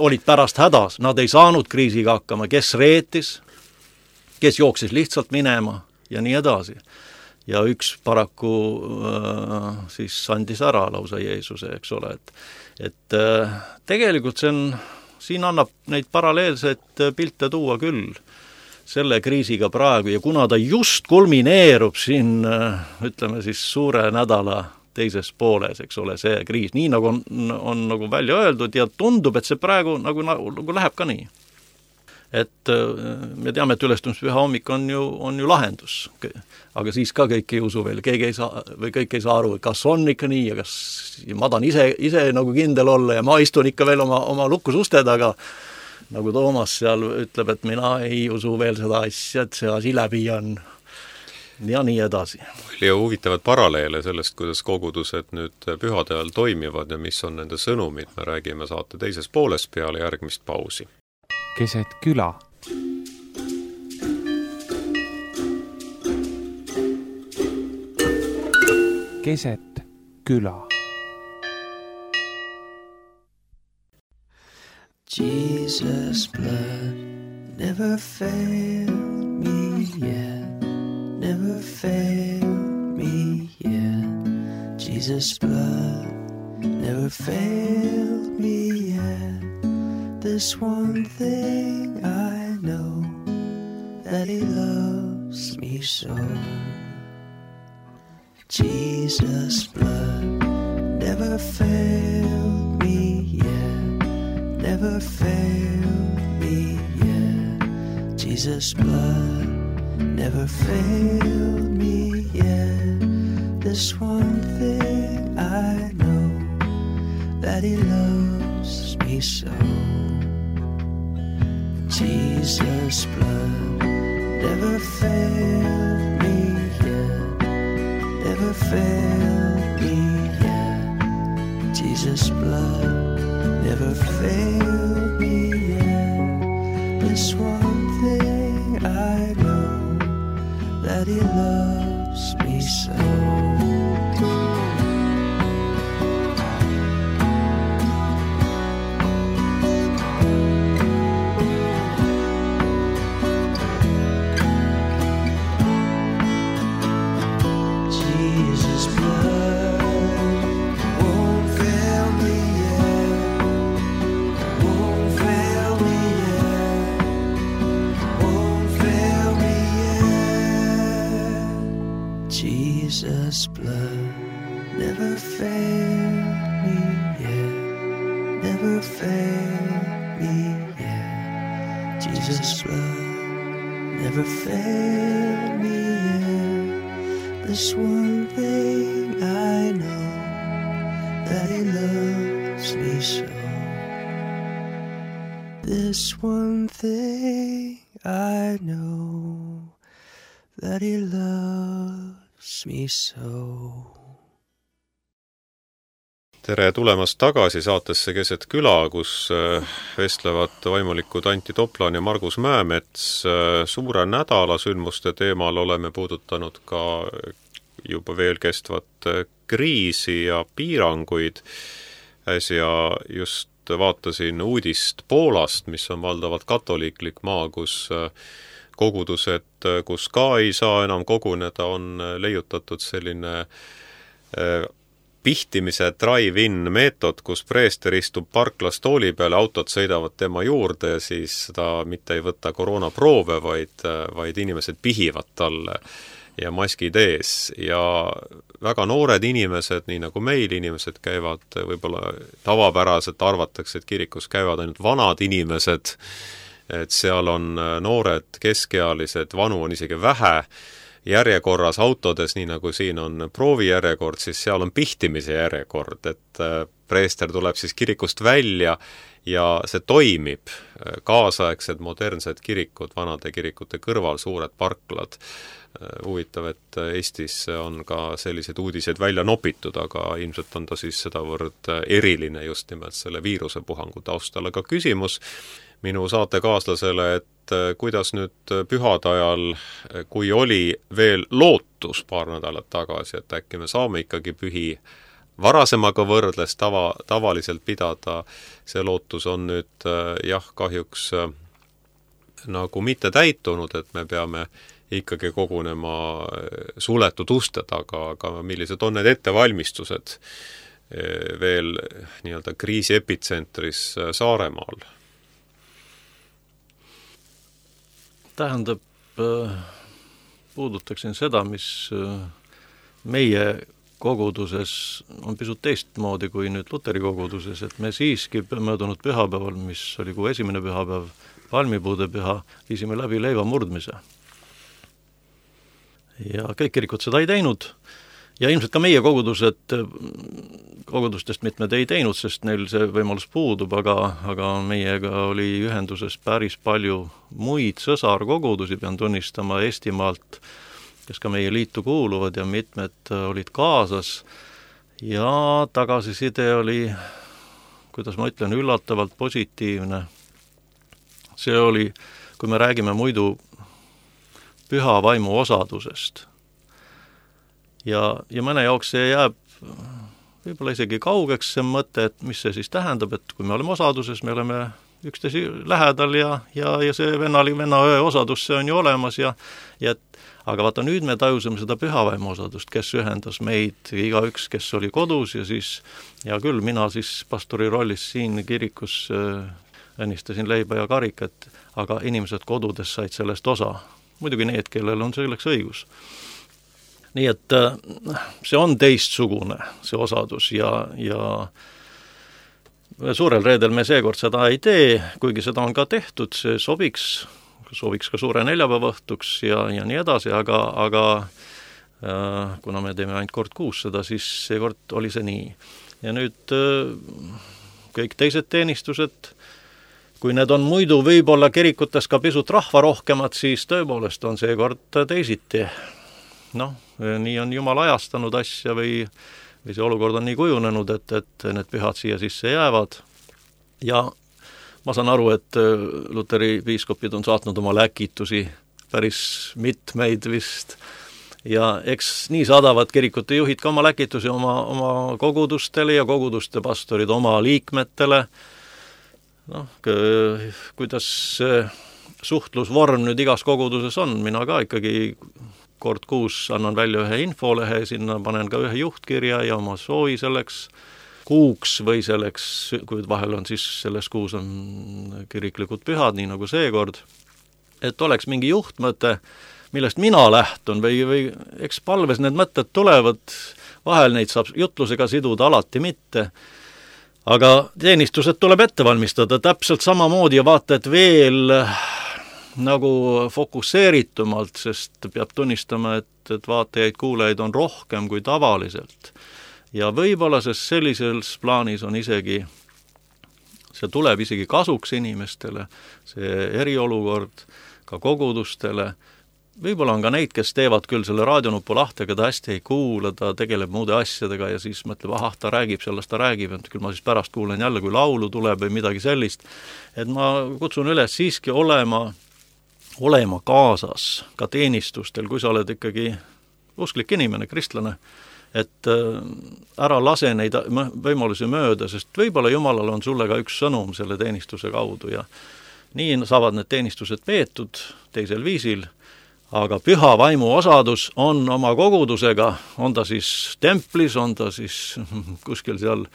olid pärast hädas, nad ei saanud kriisiga hakkama, kes reetis, kes jooksis lihtsalt minema ja nii edasi. Ja üks paraku siis andis ära lausa Jeesuse, eks ole, et tegelikult siin annab neid paralleelseid pilte tuua küll selle kriisiga praegu ja kuna ta just kulmineerub siin, ütleme siis suure nädala teises pooles, eks ole, see kriis, nii nagu on nagu välja öeldud ja tundub, et see praegu nagu läheb ka nii. Et me teame, et ülestõusmispüha hommik on ju lahendus, aga siis ka kõik ei usu veel, keegi ei saa või kõik ei saa aru, kas on ikka nii ja kas ma tahan ise nagu kindel olla ja ma istun ikka veel oma lukus uste taga, nagu Toomas seal ütleb, et mina ei usu veel seda asja, et see asi läbi on ja nii edasi. Ja huvitavad paralleele sellest, kuidas kogudused nüüd pühade ajal toimivad ja mis on nende sõnumid, me räägime saate teises pooles peale järgmist pausi. Keset küla. Keset küla. Jesus' blood never failed me yet, never failed me yet. Jesus' blood never failed me yet. This one thing I know, that he loves me so. Jesus' blood never failed me yet, never failed me yet. Jesus' blood never failed me yet. This one thing I know, that he loves me so. Jesus' blood never failed me yet, never failed me yet. Jesus' blood never failed me yet. This one thing I know, that he loves me so. Jesus' blood never failed me yet, never failed me yet. Jesus' blood never failed me yet. This one thing I know, that he loves me so. This one thing I know, that he loves me so. Tere tulemast tagasi saatesse Keset küla, kus vestlevad vaimulikud Anti Toplan ja Margus Mäemets. Suure nädala sündmuste teemal oleme puudutanud ka juba veel kestvat kriisi ja piiranguid. Äsja just vaatasin uudist Poolast, mis on valdavalt katoliiklik maa, kus kogudused, kus ka ei saa enam koguneda, on leiutatud selline pihtimise drive-in meetod, kus preester istub parklas tooli peale, autod sõidavad tema juurde ja siis ta mitte ei võta koroonaproove, vaid inimesed pihivad talle ja maskid ees. Ja väga noored inimesed, nii nagu meil inimesed käivad, võib-olla tavapäraselt arvatakse, et kirikus käivad ainult vanad inimesed, et seal on noored, keskealised, vanu on isegi vähe, järjekorras autodes, nii nagu siin on proovijärjekord, siis seal on pihtimise järjekord, et preester tuleb siis kirikust välja ja see toimib. Kaasaegsed modernsed kirikud, vanade kirikute kõrval, suured parklad. Huvitav, et Eestis on ka sellised uudised välja nopitud, aga ilmselt on ta siis sedavõrd eriline just nimelt selle viirusepuhangu taustal. Aga küsimus minu saatekaaslasele, et kuidas nüüd pühade ajal, kui oli veel lootus paar nädalat tagasi, et äkki me saame ikkagi pühi varasemaga võrdles tavaliselt pidada, see lootus on nüüd kahjuks nagu mitte täitunud, et me peame ikkagi kogunema suletud uste taga, aga millised on need ettevalmistused veel nii-öelda kriisi epitsentris Saaremaal? Tähendab, puudutaksin seda, mis meie koguduses on pisut teistmoodi kui nüüd Luteri koguduses, et me siiski möödunud pühapäeval, mis oli kuu esimene pühapäev, palmipuude püha, viisime läbi leiva murdmise. Ja kõik kirikud seda ei teinud ja ilmselt ka meie kogudustest mitmed ei teinud, sest neil see võimalus puudub, aga meiega oli ühenduses päris palju muid sõsarkogudusi, pean tunnistama Eestimaalt, kes ka meie liitu kuuluvad ja mitmed olid kaasas ja tagasiside oli, kuidas ma ütlen, üllatavalt positiivne. See oli, kui me räägime muidu püha vaimu osadusest. Ja mõne jaoks see jääb võib-olla isegi kaugeks see mõte, et mis see siis tähendab, et kui me oleme osaduses, me oleme üksteise lähedal ja see venna õe osadus, see on ju olemas aga vaata, nüüd me tajusime seda pühavaimu osadust, kes ühendas meid, igaüks, kes oli kodus ja siis, hea küll, mina siis pastori rollis siin kirikus õnnistasin leiba ja karikat, aga inimesed kodudes said sellest osa. Muidugi need, kellel on selleks õigus. Nii et see on teistsugune, see osadus ja suurel reedel me seekord seda ei tee, kuigi seda on ka tehtud, see sobiks ka suure neljapäeva õhtuks ja nii edasi, aga kuna me teeme ainult kord kuus seda, siis seekord oli see nii. Ja nüüd kõik teised teenistused, kui need on muidu võib-olla kirikutes ka pisut rahvarohkemad, siis tõepoolest on seekord teisiti. Nii on Jumal ajastanud asja või see olukord on nii kujunenud, et need pühad siia sisse jäävad. Ja ma saan aru, et Luteri piiskopid on saatnud oma läkitusi päris mitmeid vist. Ja eks nii saadavad kirikute juhid ka oma läkitusi oma kogudustele ja koguduste pastorid oma liikmetele. Kuidas suhtlusvorm nüüd igas koguduses on, mina ka ikkagi kord kuus annan välja ühe infolehe, sinna panen ka ühe juhtkirja ja oma soovi selleks kuuks või selleks, kui vahel on siis selles kuus on kiriklikud pühad, nii nagu seekord, et oleks mingi juhtmõte, millest mina lähtun või eks palves need mõtted tulevad, vahel neid saab jutlusega siduda, alati mitte, aga teenistused tuleb ette valmistada täpselt samamoodi ja vaata, et veel nagu fokusseeritumalt, sest peab tunnistama, et vaatajaid, kuulajaid on rohkem kui tavaliselt. Ja võib-olla sest sellises plaanis on isegi, see tuleb isegi kasuks inimestele, see eriolukord ka kogudustele. Võib-olla on ka neid, kes teevad küll selle raadionupu lahti, aga ta hästi ei kuula, ta tegeleb muude asjadega ja siis mõtleb, ta räägib sellest, ta räägib, et küll ma siis pärast kuulen jälle, kui laulu tuleb või midagi sellist. Et ma kutsun üles siiski olema kaasas ka teenistustel, kui sa oled ikkagi usklik inimene, kristlane, et ära lase neid võimalusi mööda, sest võib-olla Jumalal on sulle ka üks sõnum selle teenistuse kaudu ja nii saavad need teenistused peetud teisel viisil, aga püha vaimu osadus on oma kogudusega, on ta siis templis, on ta siis kuskil seal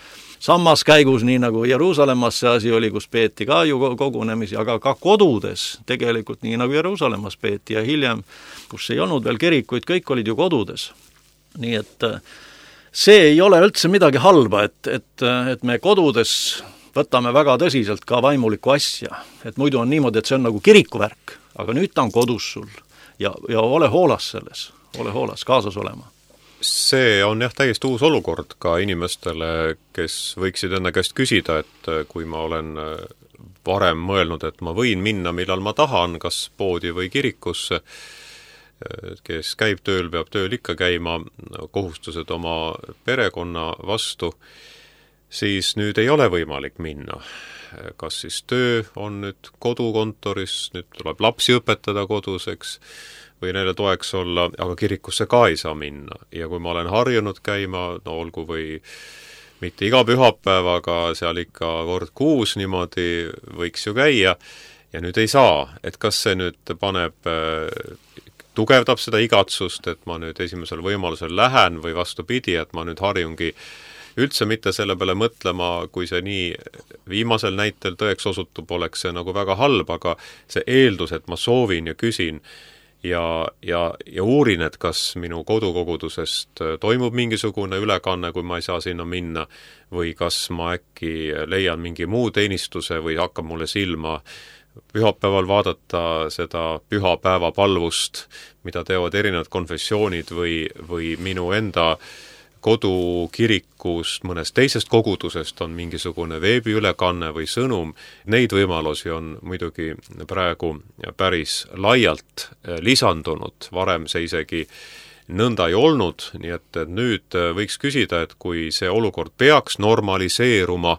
sammaskäigus, nii nagu Jeruusalemmas see asi oli, kus peeti ka ju kogunemisi, aga ka kodudes tegelikult, nii nagu Jeruusalemmas peeti ja hiljem, kus ei olnud veel kirikuid, kõik olid ju kodudes. Nii et see ei ole üldse midagi halba, et me kodudes võtame väga tõsiselt ka vaimulikku asja, et muidu on niimoodi, et see on nagu kirikuvärk, aga nüüd ta on kodus sul ja ole hoolas selles, ole hoolas, kaasas olema. See on jah täiesti uus olukord ka inimestele, kes võiksid enne käest küsida, et kui ma olen varem mõelnud, et ma võin minna, millal ma tahan, kas poodi või kirikusse, kes käib tööl, peab tööl ikka käima, kohustused oma perekonna vastu, siis nüüd ei ole võimalik minna. Kas siis töö on nüüd kodukontoris, nüüd tuleb lapsi õpetada koduseks või neile toeks olla, aga kirikusse ka ei saa minna. Ja kui ma olen harjunud käima, olgu või mitte iga pühapäev, aga seal ikka kord kuus niimoodi võiks ju käia ja nüüd ei saa, et kas see nüüd tugevdab seda igatsust, et ma nüüd esimesel võimalusel lähen või vastupidi, et ma nüüd harjungi üldse mitte selle peale mõtlema, kui see nii viimasel näitel tõeks osutub, oleks see nagu väga halb, aga see eeldus, et ma soovin ja küsin ja uurin, et kas minu kodukogudusest toimub mingisugune ülekanne, kui ma ei saa sinna minna, või kas ma äkki leian mingi muu teenistuse või hakkab mulle silma pühapäeval vaadata seda pühapäeva palvust, mida teevad erinevad konfessioonid või minu enda kodukirikust, mõnest teisest kogudusest on mingisugune veebiülekanne või sõnum. Neid võimalusi on muidugi praegu päris laialt lisandunud, varem see isegi nõnda ei olnud, nii et nüüd võiks küsida, et kui see olukord peaks normaliseeruma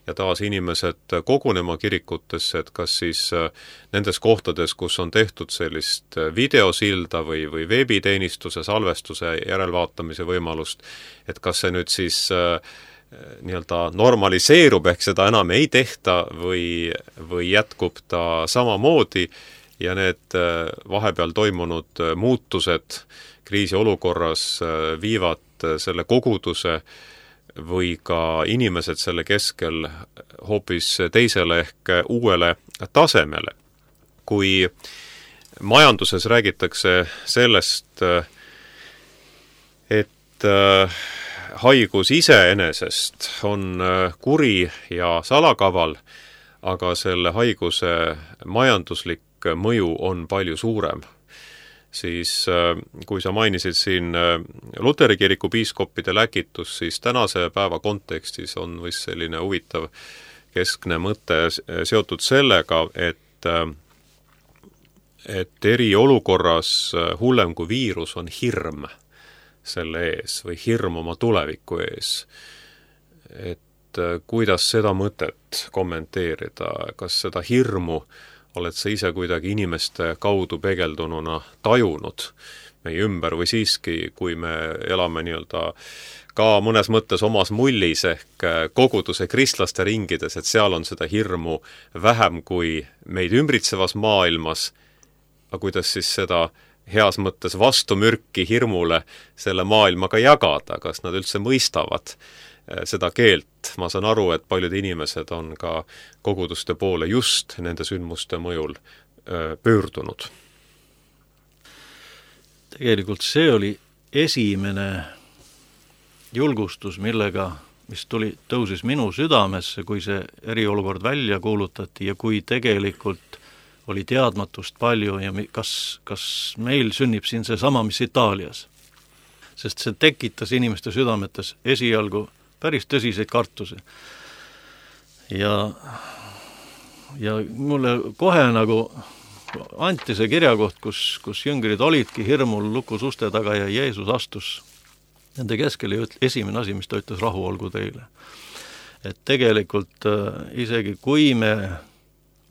ja taas inimesed kogunema kirikutesse, et kas siis nendes kohtades, kus on tehtud sellist videosilda või veebiteenistuse, salvestuse, järelvaatamise võimalust, et kas see nüüd siis nii-öelda normaliseerub, ehk seda enam ei tehta või jätkub ta samamoodi ja need vahepeal toimunud muutused kriisiolukorras viivad selle koguduse või ka inimesed selle keskel hoopis teisele ehk uuele tasemele. Kui majanduses räägitakse sellest, et haigus iseenesest on kuri ja salakaval, aga selle haiguse majanduslik mõju on palju suurem, siis kui sa mainisid siin Luteri kiriku piiskoppide läkitus, siis tänase päeva kontekstis on vist selline huvitav keskne mõte seotud sellega, et eriolukorras hullem kui viirus on hirm selle ees või hirm oma tuleviku ees. Et kuidas seda mõtet kommenteerida, kas seda hirmu oled sa ise kuidagi inimeste kaudu peegeldununa tajunud meie ümber või siiski, kui me elame nii-öelda ka mõnes mõttes omas mullis ehk koguduse kristlaste ringides, et seal on seda hirmu vähem kui meid ümbritsevas maailmas, aga kuidas siis seda heas mõttes vastumürki hirmule selle maailmaga jagada, kas nad üldse mõistavad seda keelt. Ma saan aru, et paljud inimesed on ka koguduste poole just nende sündmuste mõjul pöördunud. Tegelikult see oli esimene julgustus, mis tõusis minu südamesse, kui see eriolukord välja kuulutati ja kui tegelikult oli teadmatust palju ja kas meil sünnib siin see sama, mis Itaalias. Sest see tekitas inimeste südametes esialgu päris tõsiseid kartusi. Ja mulle kohe nagu anti see kirjakoht, kus jüngrid olidki hirmul lukus uste taga ja Jeesus astus nende keskel ja esimene asi, mis ta ütles, rahu olgu teile. Et tegelikult isegi kui me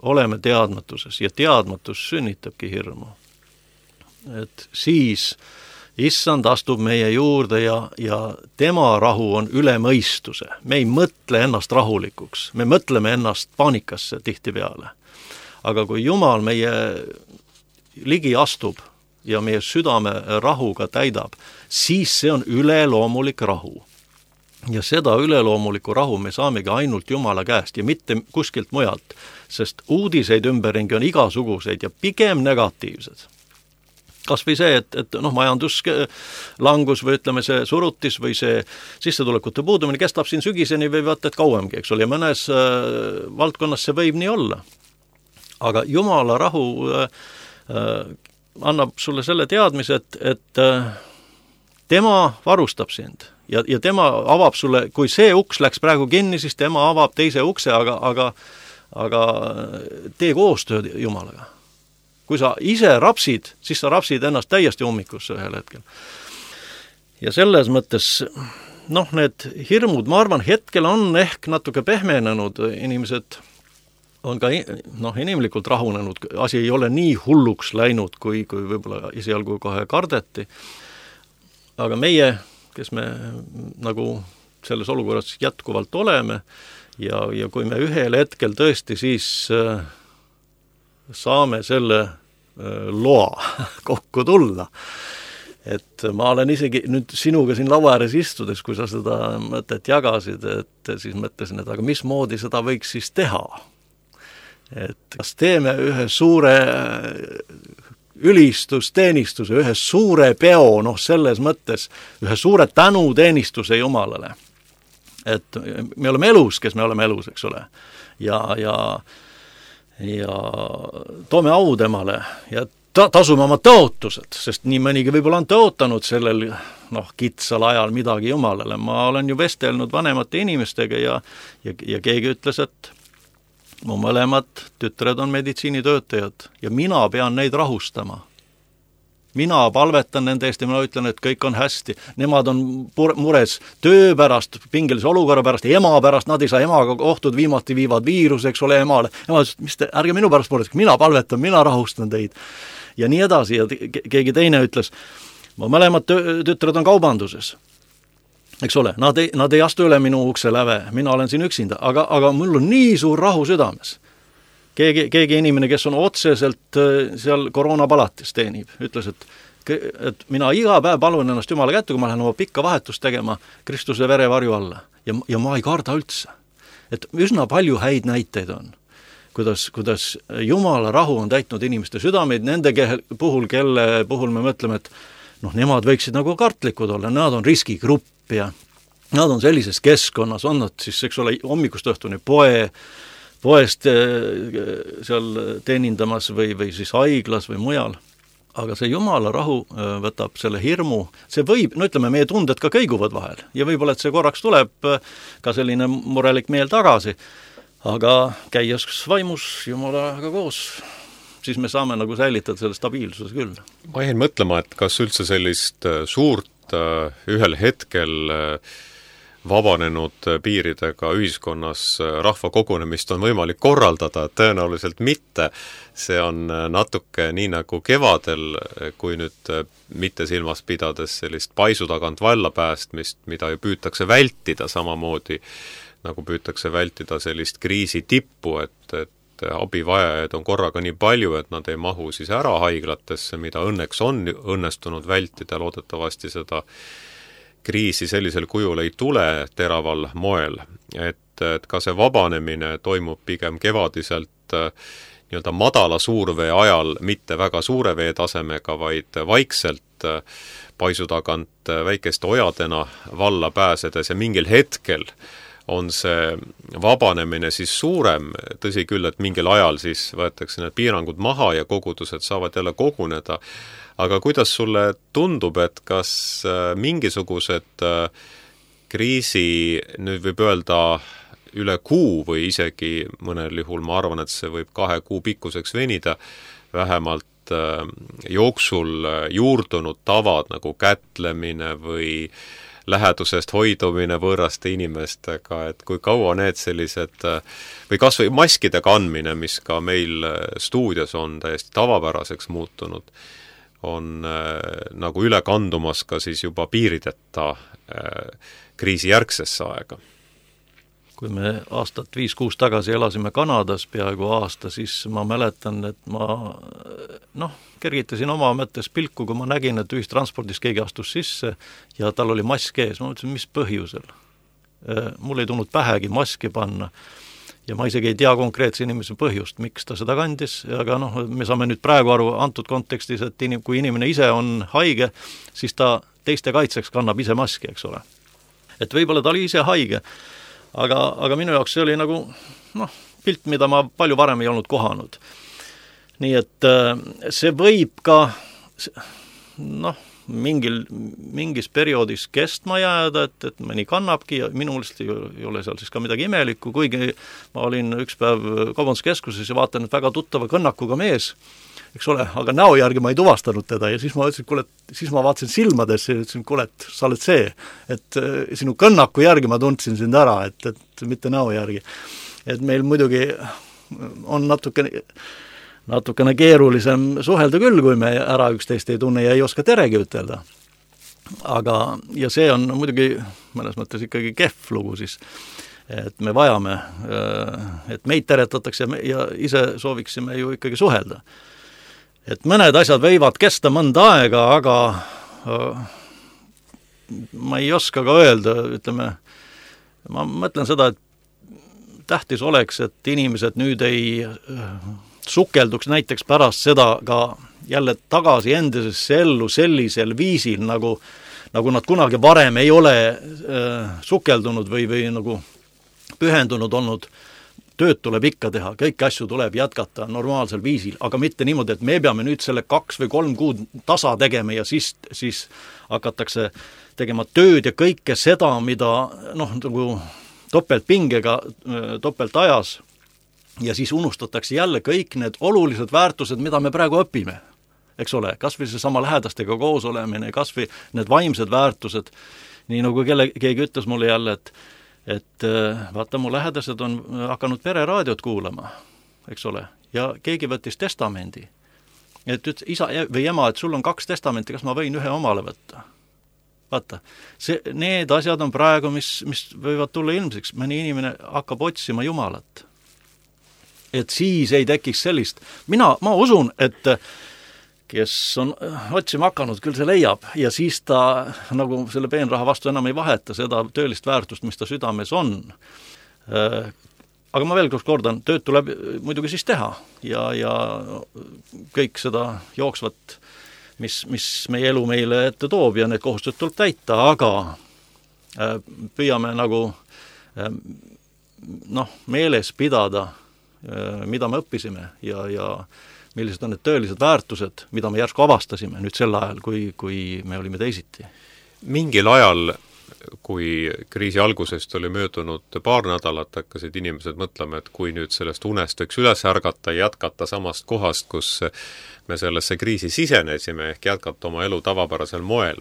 oleme teadmatuses ja teadmatus sünnitabki hirmu. Et siis issand astub meie juurde ja tema rahu on üle mõistuse. Me ei mõtle ennast rahulikuks, me mõtleme ennast paanikasse tihtipeale. Aga kui Jumal meie ligi astub ja meie südame rahuga täidab, siis see on üleloomulik rahu. Ja seda üleloomulikku rahu me saamegi ainult Jumala käest ja mitte kuskilt mujalt, sest uudiseid ümberringi on igasuguseid ja pigem negatiivsed. Kas või see, et majanduslangus või ütleme see surutis või see sissetulekute puudumine kestab siin sügiseni või vaata, et kauemgi, eks ole, ja mõnes valdkonnas see võib nii olla. Aga Jumala rahu annab sulle selle teadmise, et tema varustab sind ja tema avab sulle, kui see uks läks praegu kinni, siis tema avab teise ukse, aga tee koostööd Jumalaga. Kui sa ise rapsid, siis sa rapsid ennast täiesti ummikusse ühel hetkel. Ja selles mõttes, need hirmud, ma arvan, hetkel on ehk natuke pehmenenud, inimesed on ka inimlikult rahunenud, asi ei ole nii hulluks läinud, kui võib-olla esialgu kohe kardeti. Aga meie, kes me nagu selles olukorras jätkuvalt oleme ja kui me ühel hetkel tõesti siis saame selle loa kokku tulla, et ma olen isegi nüüd sinuga siin laua ääres istudes, kui sa seda mõtet jagasid, et siis mõtlesin, et aga mismoodi seda võiks siis teha? Et kas teeme ühe suure ülistusteenistuse, ühe suure peo, selles mõttes, ühe suure tänuteenistuse Jumalale. Et me oleme elus, kes me oleme elus, eks ole. Ja toome au temale ja tasume oma tõotused, sest nii mõnigi võib-olla on tõotanud sellel kitsal ajal midagi Jumalale. Ma olen ju vestelnud vanemate inimestega ja keegi ütles, et mu mõlemad tütred on meditsiinitöötajad ja mina pean neid rahustama. mina palvetan nende eest ja mina ütlen, et kõik on hästi. Nemad on mures töö pärast, pingelise olukorra pärast, ema pärast, nad ei saa emaga kohtud, viimati viivad viirus, eks ole, emale. Ema ütles, mis te, ärge minu pärast mures, mina palvetan, mina rahustan teid. Ja nii edasi ja keegi teine ütles, mõlemad tütred on kaubanduses. Eks ole, nad ei astu üle minu ukse läve, mina olen siin üksinda, aga mul on nii suur rahu südames. Keegi inimene, kes on otseselt seal koroonapalatis teenib, ütles, et mina iga päev palun ennast Jumala kätte, kui ma lähen oma pikka vahetust tegema Kristuse verevarju alla. Ja ma ei karda üldse. Et üsna palju häid näiteid on, kuidas Jumala rahu on täitnud inimeste südameid, nende puhul, kelle puhul me mõtleme, et nemad võiksid nagu kartlikud olla, nad on riskigrupp ja nad on sellises keskkonnas, on nad siis, eks ole, hommikust õhtuni poest seal teenindamas või siis haiglas või mujal. Aga see Jumala rahu võtab selle hirmu, see võib, ütleme, meie tunded ka kõiguvad vahel ja võib-olla, et see korraks tuleb ka selline murelik meel tagasi, aga käies vaimus Jumalaga koos, siis me saame nagu säilitada selle stabiilsuse küll. Ma jäin mõtlema, et kas üldse sellist suurt ühel hetkel vabanenud piiridega ühiskonnas rahva kogunemist on võimalik korraldada, tõenäoliselt mitte. See on natuke nii nagu kevadel, kui nüüd mitte silmas pidades sellist paisu tagant valla päästmist, mida ju püütakse vältida samamoodi, nagu püütakse vältida sellist kriisi tippu, et abivajajaid on korraga nii palju, et nad ei mahu siis ära haiglatesse, mida õnneks on õnnestunud vältida, loodetavasti seda kriisi sellisel kujul ei tule teraval moel, et ka see vabanemine toimub pigem kevadiselt nii-öelda madala suurvee ajal, mitte väga suure vee tasemega, vaid vaikselt paisu tagant väikeste ojadena valla pääsedes ja mingil hetkel on see vabanemine siis suurem, tõsi küll, et mingil ajal siis võetakse need piirangud maha ja kogudused saavad jälle koguneda. Aga kuidas sulle tundub, et kas mingisugused kriisi, nüüd võib öelda üle kuu või isegi mõnel juhul, ma arvan, et see võib 2 kuu pikkuseks venida, vähemalt jooksul juurdunud tavad nagu kätlemine või lähedusest hoidumine võõraste inimestega, et kui kaua need sellised, või kas või maskide kandmine, mis ka meil stuudios on täiesti tavapäraseks muutunud, on nagu üle kandumas ka siis juba piirideta kriisijärgsesse aega. Kui me aastat 5-6 tagasi elasime Kanadas peaaegu aasta, siis ma mäletan, et ma kergitasin oma mõttes pilku, kui ma nägin, et ühistranspordis keegi astus sisse ja tal oli mask ees. Ma mõtlesin, mis põhjusel? Mul ei tulnud pähegi maski panna. Ja ma isegi ei tea konkreetse inimese põhjust, miks ta seda kandis, aga me saame nüüd praegu aru antud kontekstis, et kui inimene ise on haige, siis ta teiste kaitseks kannab ise maski, eks ole. Et võib-olla ta oli ise haige, aga minu jaoks see oli nagu pilt, mida ma palju varem ei olnud kohanud. Nii et see võib ka mingis perioodis kestma jääda, et mõni kannabki ja minulist ei ole seal siis ka midagi imelikku, kuigi ma olin üks päev kaubanduskeskuses ja vaatan, et väga tuttava kõnnakuga mees, eks ole, aga näo järgi ma ei tuvastanud teda ja siis ma ütlesin, kuule, siis ma vaatasin silmadesse ja ütlesin, kuule, et sa oled see, et sinu kõnnaku järgi ma tundsin sind ära, et mitte näo järgi. Et meil muidugi on natukene keerulisem suhelda küll, kui me ära üksteist ei tunne ja ei oska teregi ütelda. Ja see on muidugi mõnes mõttes ikkagi kehv lugu siis, et me vajame, et meid teretatakse ja ise sooviksime ju ikkagi suhelda. Et mõned asjad võivad kesta mõnda aega, aga ma ei oska ka öelda, ütleme, ma mõtlen seda, et tähtis oleks, et inimesed nüüd ei sukelduks näiteks pärast seda ka jälle tagasi endisesse ellu sellisel viisil, nagu nad kunagi varem ei ole sukeldunud või nagu pühendunud olnud. Tööd tuleb ikka teha, kõiki asju tuleb jätkata normaalsel viisil, aga mitte niimoodi, et me peame nüüd selle 2 või 3 kuud tasa tegema ja siis hakatakse tegema tööd ja kõike seda, mida nagu topeltpingega, topeltajas ja siis unustatakse jälle kõik need olulised väärtused, mida me praegu õpime. eks ole, kas või seesama lähedastega koos olemine, kas või need vaimsed väärtused, nii nagu keegi ütles mulle jälle, et vaata, mu lähedased on hakanud pereraadiot kuulama, eks ole, ja keegi võttis testamendi, et ütles isa või ema, et sul on 2 testamenti, kas ma võin ühe omale võtta? Vaata, need asjad on praegu, mis võivad tulla ilmseks, mõni inimene hakkab otsima Jumalat. Et siis ei tekiks sellist, ma usun, et kes on otsima hakanud, küll see leiab ja siis ta nagu selle peenraha vastu enam ei vaheta seda töölist väärtust, mis ta südames on. Aga ma veel kordan, tööd tuleb muidugi siis teha ja kõik seda jooksvat, mis meie elu meile ette toob ja need kohustused tuleb täita, aga püüame nagu meeles pidada, mida me õppisime ja millised on need töölised väärtused, mida me järsku avastasime nüüd sel ajal, kui me olime teisiti. Mingil ajal, kui kriisi algusest oli möödunud paar nädalat, hakkasid inimesed mõtlema, et kui nüüd sellest unest võiks üles ärgata ja jätkata samast kohast, kus me sellesse kriisi sisenesime, ehk jätkata oma elu tavapärasel moel.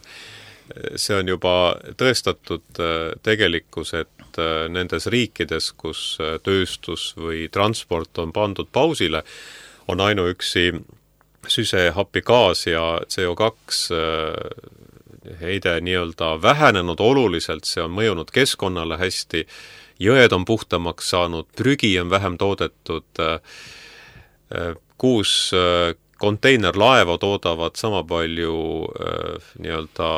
See on juba tõestatud tegelikkus, et nendes riikides, kus tööstus või transport on pandud pausile, on ainuüksi süsehappegaas ja CO2 heide nii-öelda vähenenud oluliselt, see on mõjunud keskkonnale hästi, jõed on puhtamaks saanud, prügi on vähem toodetud, 6 konteinerlaeva toodavad sama palju nii-öelda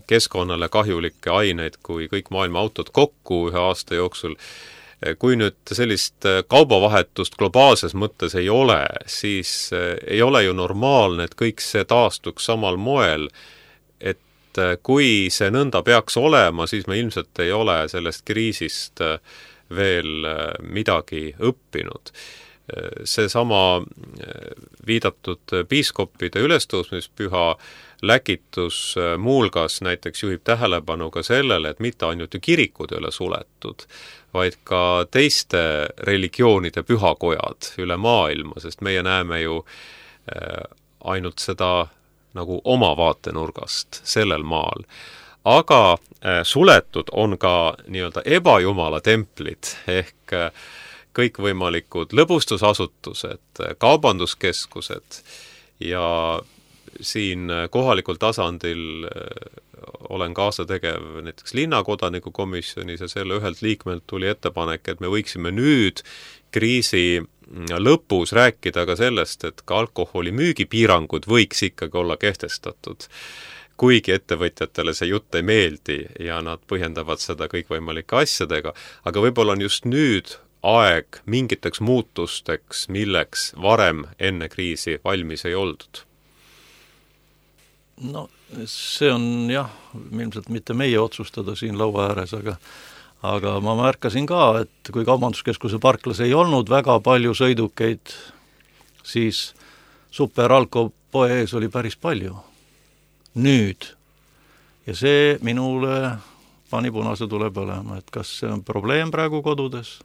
keskkonnale kahjulikke aineid kui kõik maailma autod kokku ühe aasta jooksul. Kui nüüd sellist kaubavahetust globaalses mõttes ei ole, siis ei ole ju normaalne, et kõik see taastuks samal moel, et kui see nõnda peaks olema, siis me ilmselt ei ole sellest kriisist veel midagi õppinud. Seesama viidatud piiskopide ülestõusmispüha läkitus muulgas näiteks juhib tähelepanu ka sellele, et mitte ainult ju kirikud ei ole suletud, vaid ka teiste religioonide pühakojad üle maailma, sest meie näeme ju ainult seda nagu oma vaatenurgast sellel maal. Aga suletud on ka nii-öelda ebajumala templid ehk kõikvõimalikud lõbustusasutused, kaubanduskeskused ja siin kohalikul tasandil olen kaasategev näiteks linnakodaniku komisjonis ja selle ühelt liikmelt tuli ettepanek, et me võiksime nüüd kriisi lõpus rääkida ka sellest, et ka alkoholi müügipiirangud võiks ikkagi olla kehtestatud. Kuigi ettevõtjatele see jutt ei meeldi ja nad põhjendavad seda kõikvõimalike asjadega, aga võib-olla on just nüüd aeg mingiteks muutusteks, milleks varem enne kriisi valmis ei oldud. No see on jah, ilmselt mitte meie otsustada siin laua ääres, aga ma märkasin ka, et kui kaubanduskeskuse parklas ei olnud väga palju sõidukeid, siis Superalko poe ees oli päris palju. Nüüd. Ja see minule pani punase tule põlema, et kas see on probleem praegu kodudes?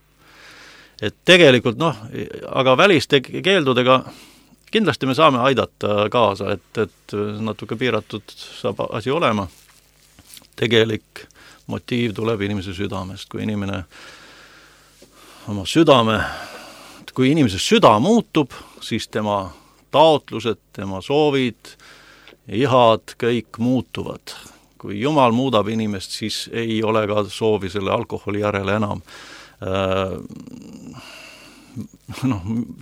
Et tegelikult aga väliste keeldudega kindlasti me saame aidata kaasa, et natuke piiratud saab asi olema. Tegelik motiiv tuleb inimese südamest, kui inimene oma kui inimese süda muutub, siis tema taotlused, tema soovid, ihad, kõik muutuvad. Kui Jumal muudab inimest, siis ei ole ka soovi selle alkoholi järele enam.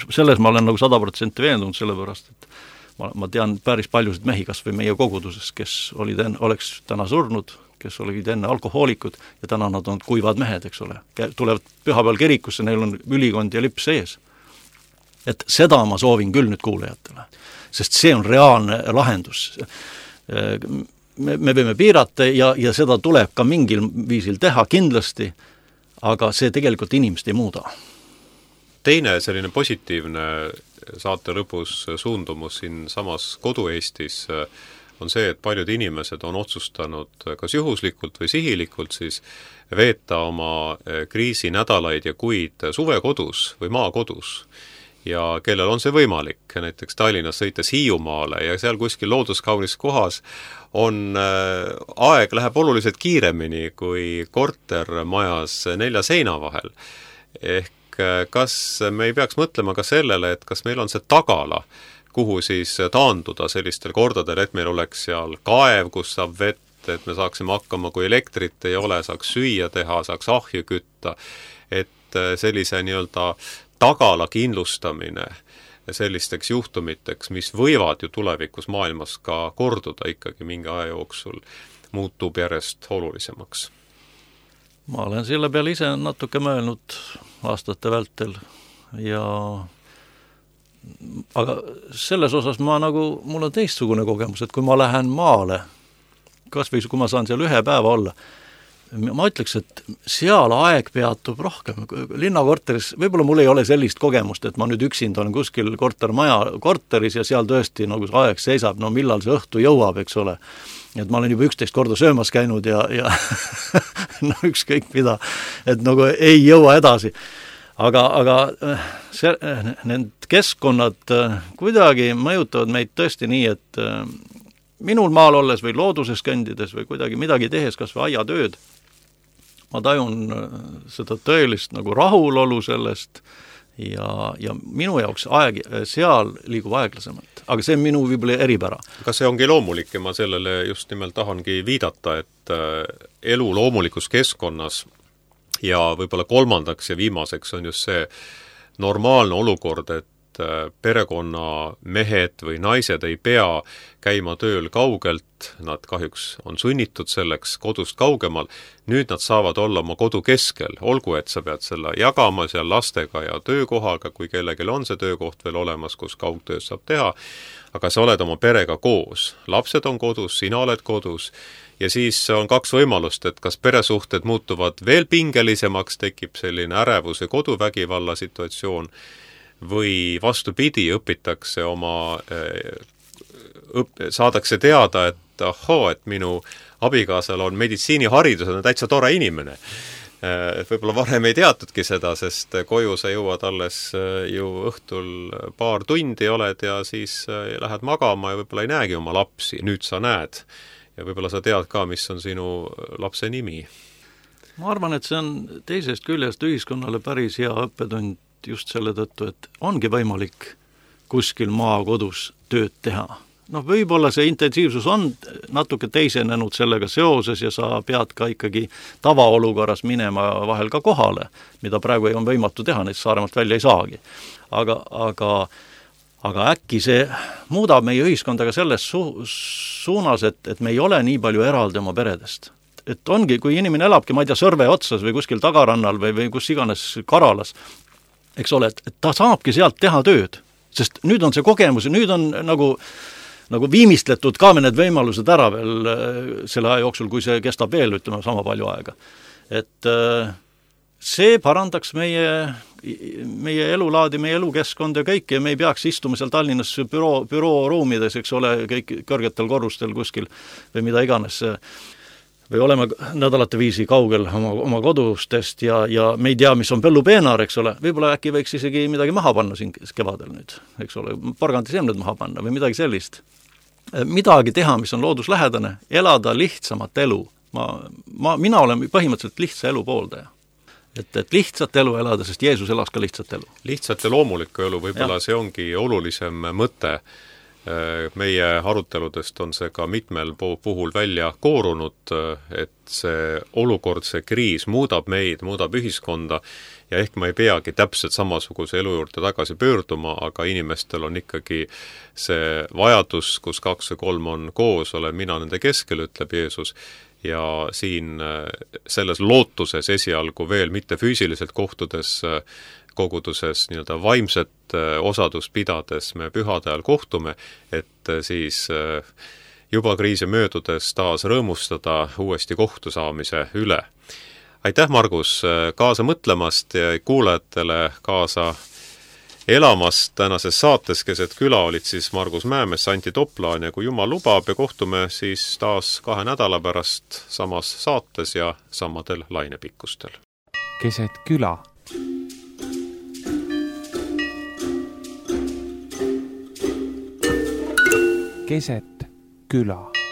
Selles ma olen nagu 100% veendunud, sellepärast, et ma tean päris paljusid mehi, kas või meie koguduses, kes oleks täna surnud, kes olid enne alkohoolikud ja täna nad on kuivad mehed, eks ole. Tulevad pühapäeval kirikusse, neil on ülikond ja lips ees. Et seda ma soovin küll nüüd kuulajatele, sest see on reaalne lahendus. Me võime piirata ja seda tuleb ka mingil viisil teha kindlasti, aga see tegelikult inimest ei muuda. Teine selline positiivne saate lõpus suundumus siin samas kodu-Eestis on see, et paljud inimesed on otsustanud kas juhuslikult või sihilikult siis veeta oma kriisinädalaid ja kuid suvekodus või maakodus. ja kellel on see võimalik, näiteks Tallinnas sõites Hiiumaale ja seal kuskil looduskaunis kohas aeg läheb oluliselt kiiremini kui kortermajas 4 seina vahel. Ehk kas me ei peaks mõtlema ka sellele, et kas meil on see tagala, kuhu siis taanduda sellistel kordadel, et meil oleks seal kaev, kus saab vett, et me saaksime hakkama, kui elektrit ei ole, saaks süüa teha, saaks ahju kütta, et sellise nii-öelda tagala kindlustamine sellisteks juhtumiteks, mis võivad ju tulevikus maailmas ka korduda ikkagi mingi aja jooksul, muutub järjest olulisemaks. Ma olen selle peale ise natuke mõelnud aastate vältel aga selles osas mul on teistsugune kogemus, et kui ma lähen maale, kas või kui ma saan seal 1 päeva olla, ma ütleks, et seal aeg peatub rohkem. Linnakorteris, võib-olla mul ei ole sellist kogemust, et ma nüüd üksinda olen kuskil korteris ja seal tõesti nagu see aeg seisab, no millal see õhtu jõuab, eks ole. Et ma olen juba 11 korda söömas käinud ja no ükskõik mida, et nagu ei jõua edasi. Aga need keskkonnad kuidagi mõjutavad meid tõesti nii, et minul maal olles või looduses kõndides või kuidagi midagi tehes, kas või aiatööd, ma tajun seda tõelist nagu rahulolu sellest ja minu jaoks seal liigub aeglasemalt. Aga see on minu võib-olla eripära. Aga see ongi loomulik ja ma sellele just nimelt tahangi viidata, et elu loomulikus keskkonnas ja võib-olla kolmandaks ja viimaseks on just see normaalne olukord, et perekonna mehed või naised ei pea käima tööl kaugelt, nad kahjuks on sunnitud selleks kodust kaugemal, nüüd nad saavad olla oma kodu keskel, olgu, et sa pead selle jagama seal lastega ja töökohaga, kui kellelgi on see töökoht veel olemas, kus kaugtööd saab teha, aga sa oled oma perega koos, lapsed on kodus, sina oled kodus, ja siis on 2 võimalust, et kas peresuhted muutuvad veel pingelisemaks, tekib selline ärevuse koduvägivalla situatsioon, või vastupidi, õpitakse saadakse teada, et et minu abikaasal on meditsiiniharidus, on täitsa tore inimene. Võib-olla varem ei teatudki seda, sest koju sa jõuad alles ju õhtul paar tundi oled ja siis lähed magama ja võib-olla ei näegi oma lapsi, nüüd sa näed. Ja võib-olla sa tead ka, mis on sinu lapse nimi. Ma arvan, et see on teisest küljest ühiskonnale päris hea õppetund just selle tõttu, et ongi võimalik kuskil maakodus tööd teha. Noh, võib-olla see intensiivsus on natuke teisenenud sellega seoses ja sa pead ka ikkagi tavaolukorras minema vahel ka kohale, mida praegu ei on võimatu teha, neid Saaremaalt välja ei saagi. Aga äkki see muudab meie ühiskonda ka selles suunas, et me ei ole nii palju eraldi oma peredest. Et ongi, kui inimene elabki, ma ei tea, Sõrve otsas või kuskil tagarannal või kus iganes Karalas, eks ole, et ta saabki sealt teha tööd, sest nüüd on see kogemus, nüüd on nagu viimistletud ka need võimalused ära veel selle aja jooksul, kui see kestab veel, ütleme, sama palju aega. Et see parandaks meie elulaadi, meie elukeskkond ja kõik, ja me ei peaks istuma seal Tallinnas bürooruumides, eks ole, kõik kõrgetel korrustel kuskil või mida iganes või oleme nädalate viisi kaugel oma kodustest ja me ei tea, mis on põllupeenar, eks ole, võib-olla äkki võiks isegi midagi maha panna siin kevadel nüüd, eks ole, porgandiseemned maha panna või midagi sellist. Midagi teha, mis on looduslähedane, elada lihtsamat elu. Mina olen põhimõtteliselt lihtsa elu pooldaja. Et lihtsat elu elada, sest Jeesus elas ka lihtsat elu. Lihtsat ja loomulikku elu, võib-olla see ongi olulisem mõte. Meie aruteludest on see ka mitmel puhul välja koorunud, et see olukord, see kriis muudab meid, muudab ühiskonda ja ehk ma ei peagi täpselt samasuguse elu juurde tagasi pöörduma, aga inimestel on ikkagi see vajadus, kus 2 või 3 on koos, olen mina nende keskel, ütleb Jeesus, ja siin selles lootuses esialgu veel mitte füüsiliselt kohtudes koguduses nii-öelda vaimset osadust pidades me pühade ajal kohtume, et siis juba kriisi möödudes taas rõõmustada uuesti kohtu saamise üle. Aitäh, Margus, kaasa mõtlemast ja kuulajatele kaasa elamast tänases saates Keset küla olid siis Margus Mäemees, Anti Toplaan ja kui Jumal lubab ja kohtume siis taas 2 nädala pärast samas saates ja samadel lainepikkustel. Keset küla. keset küla.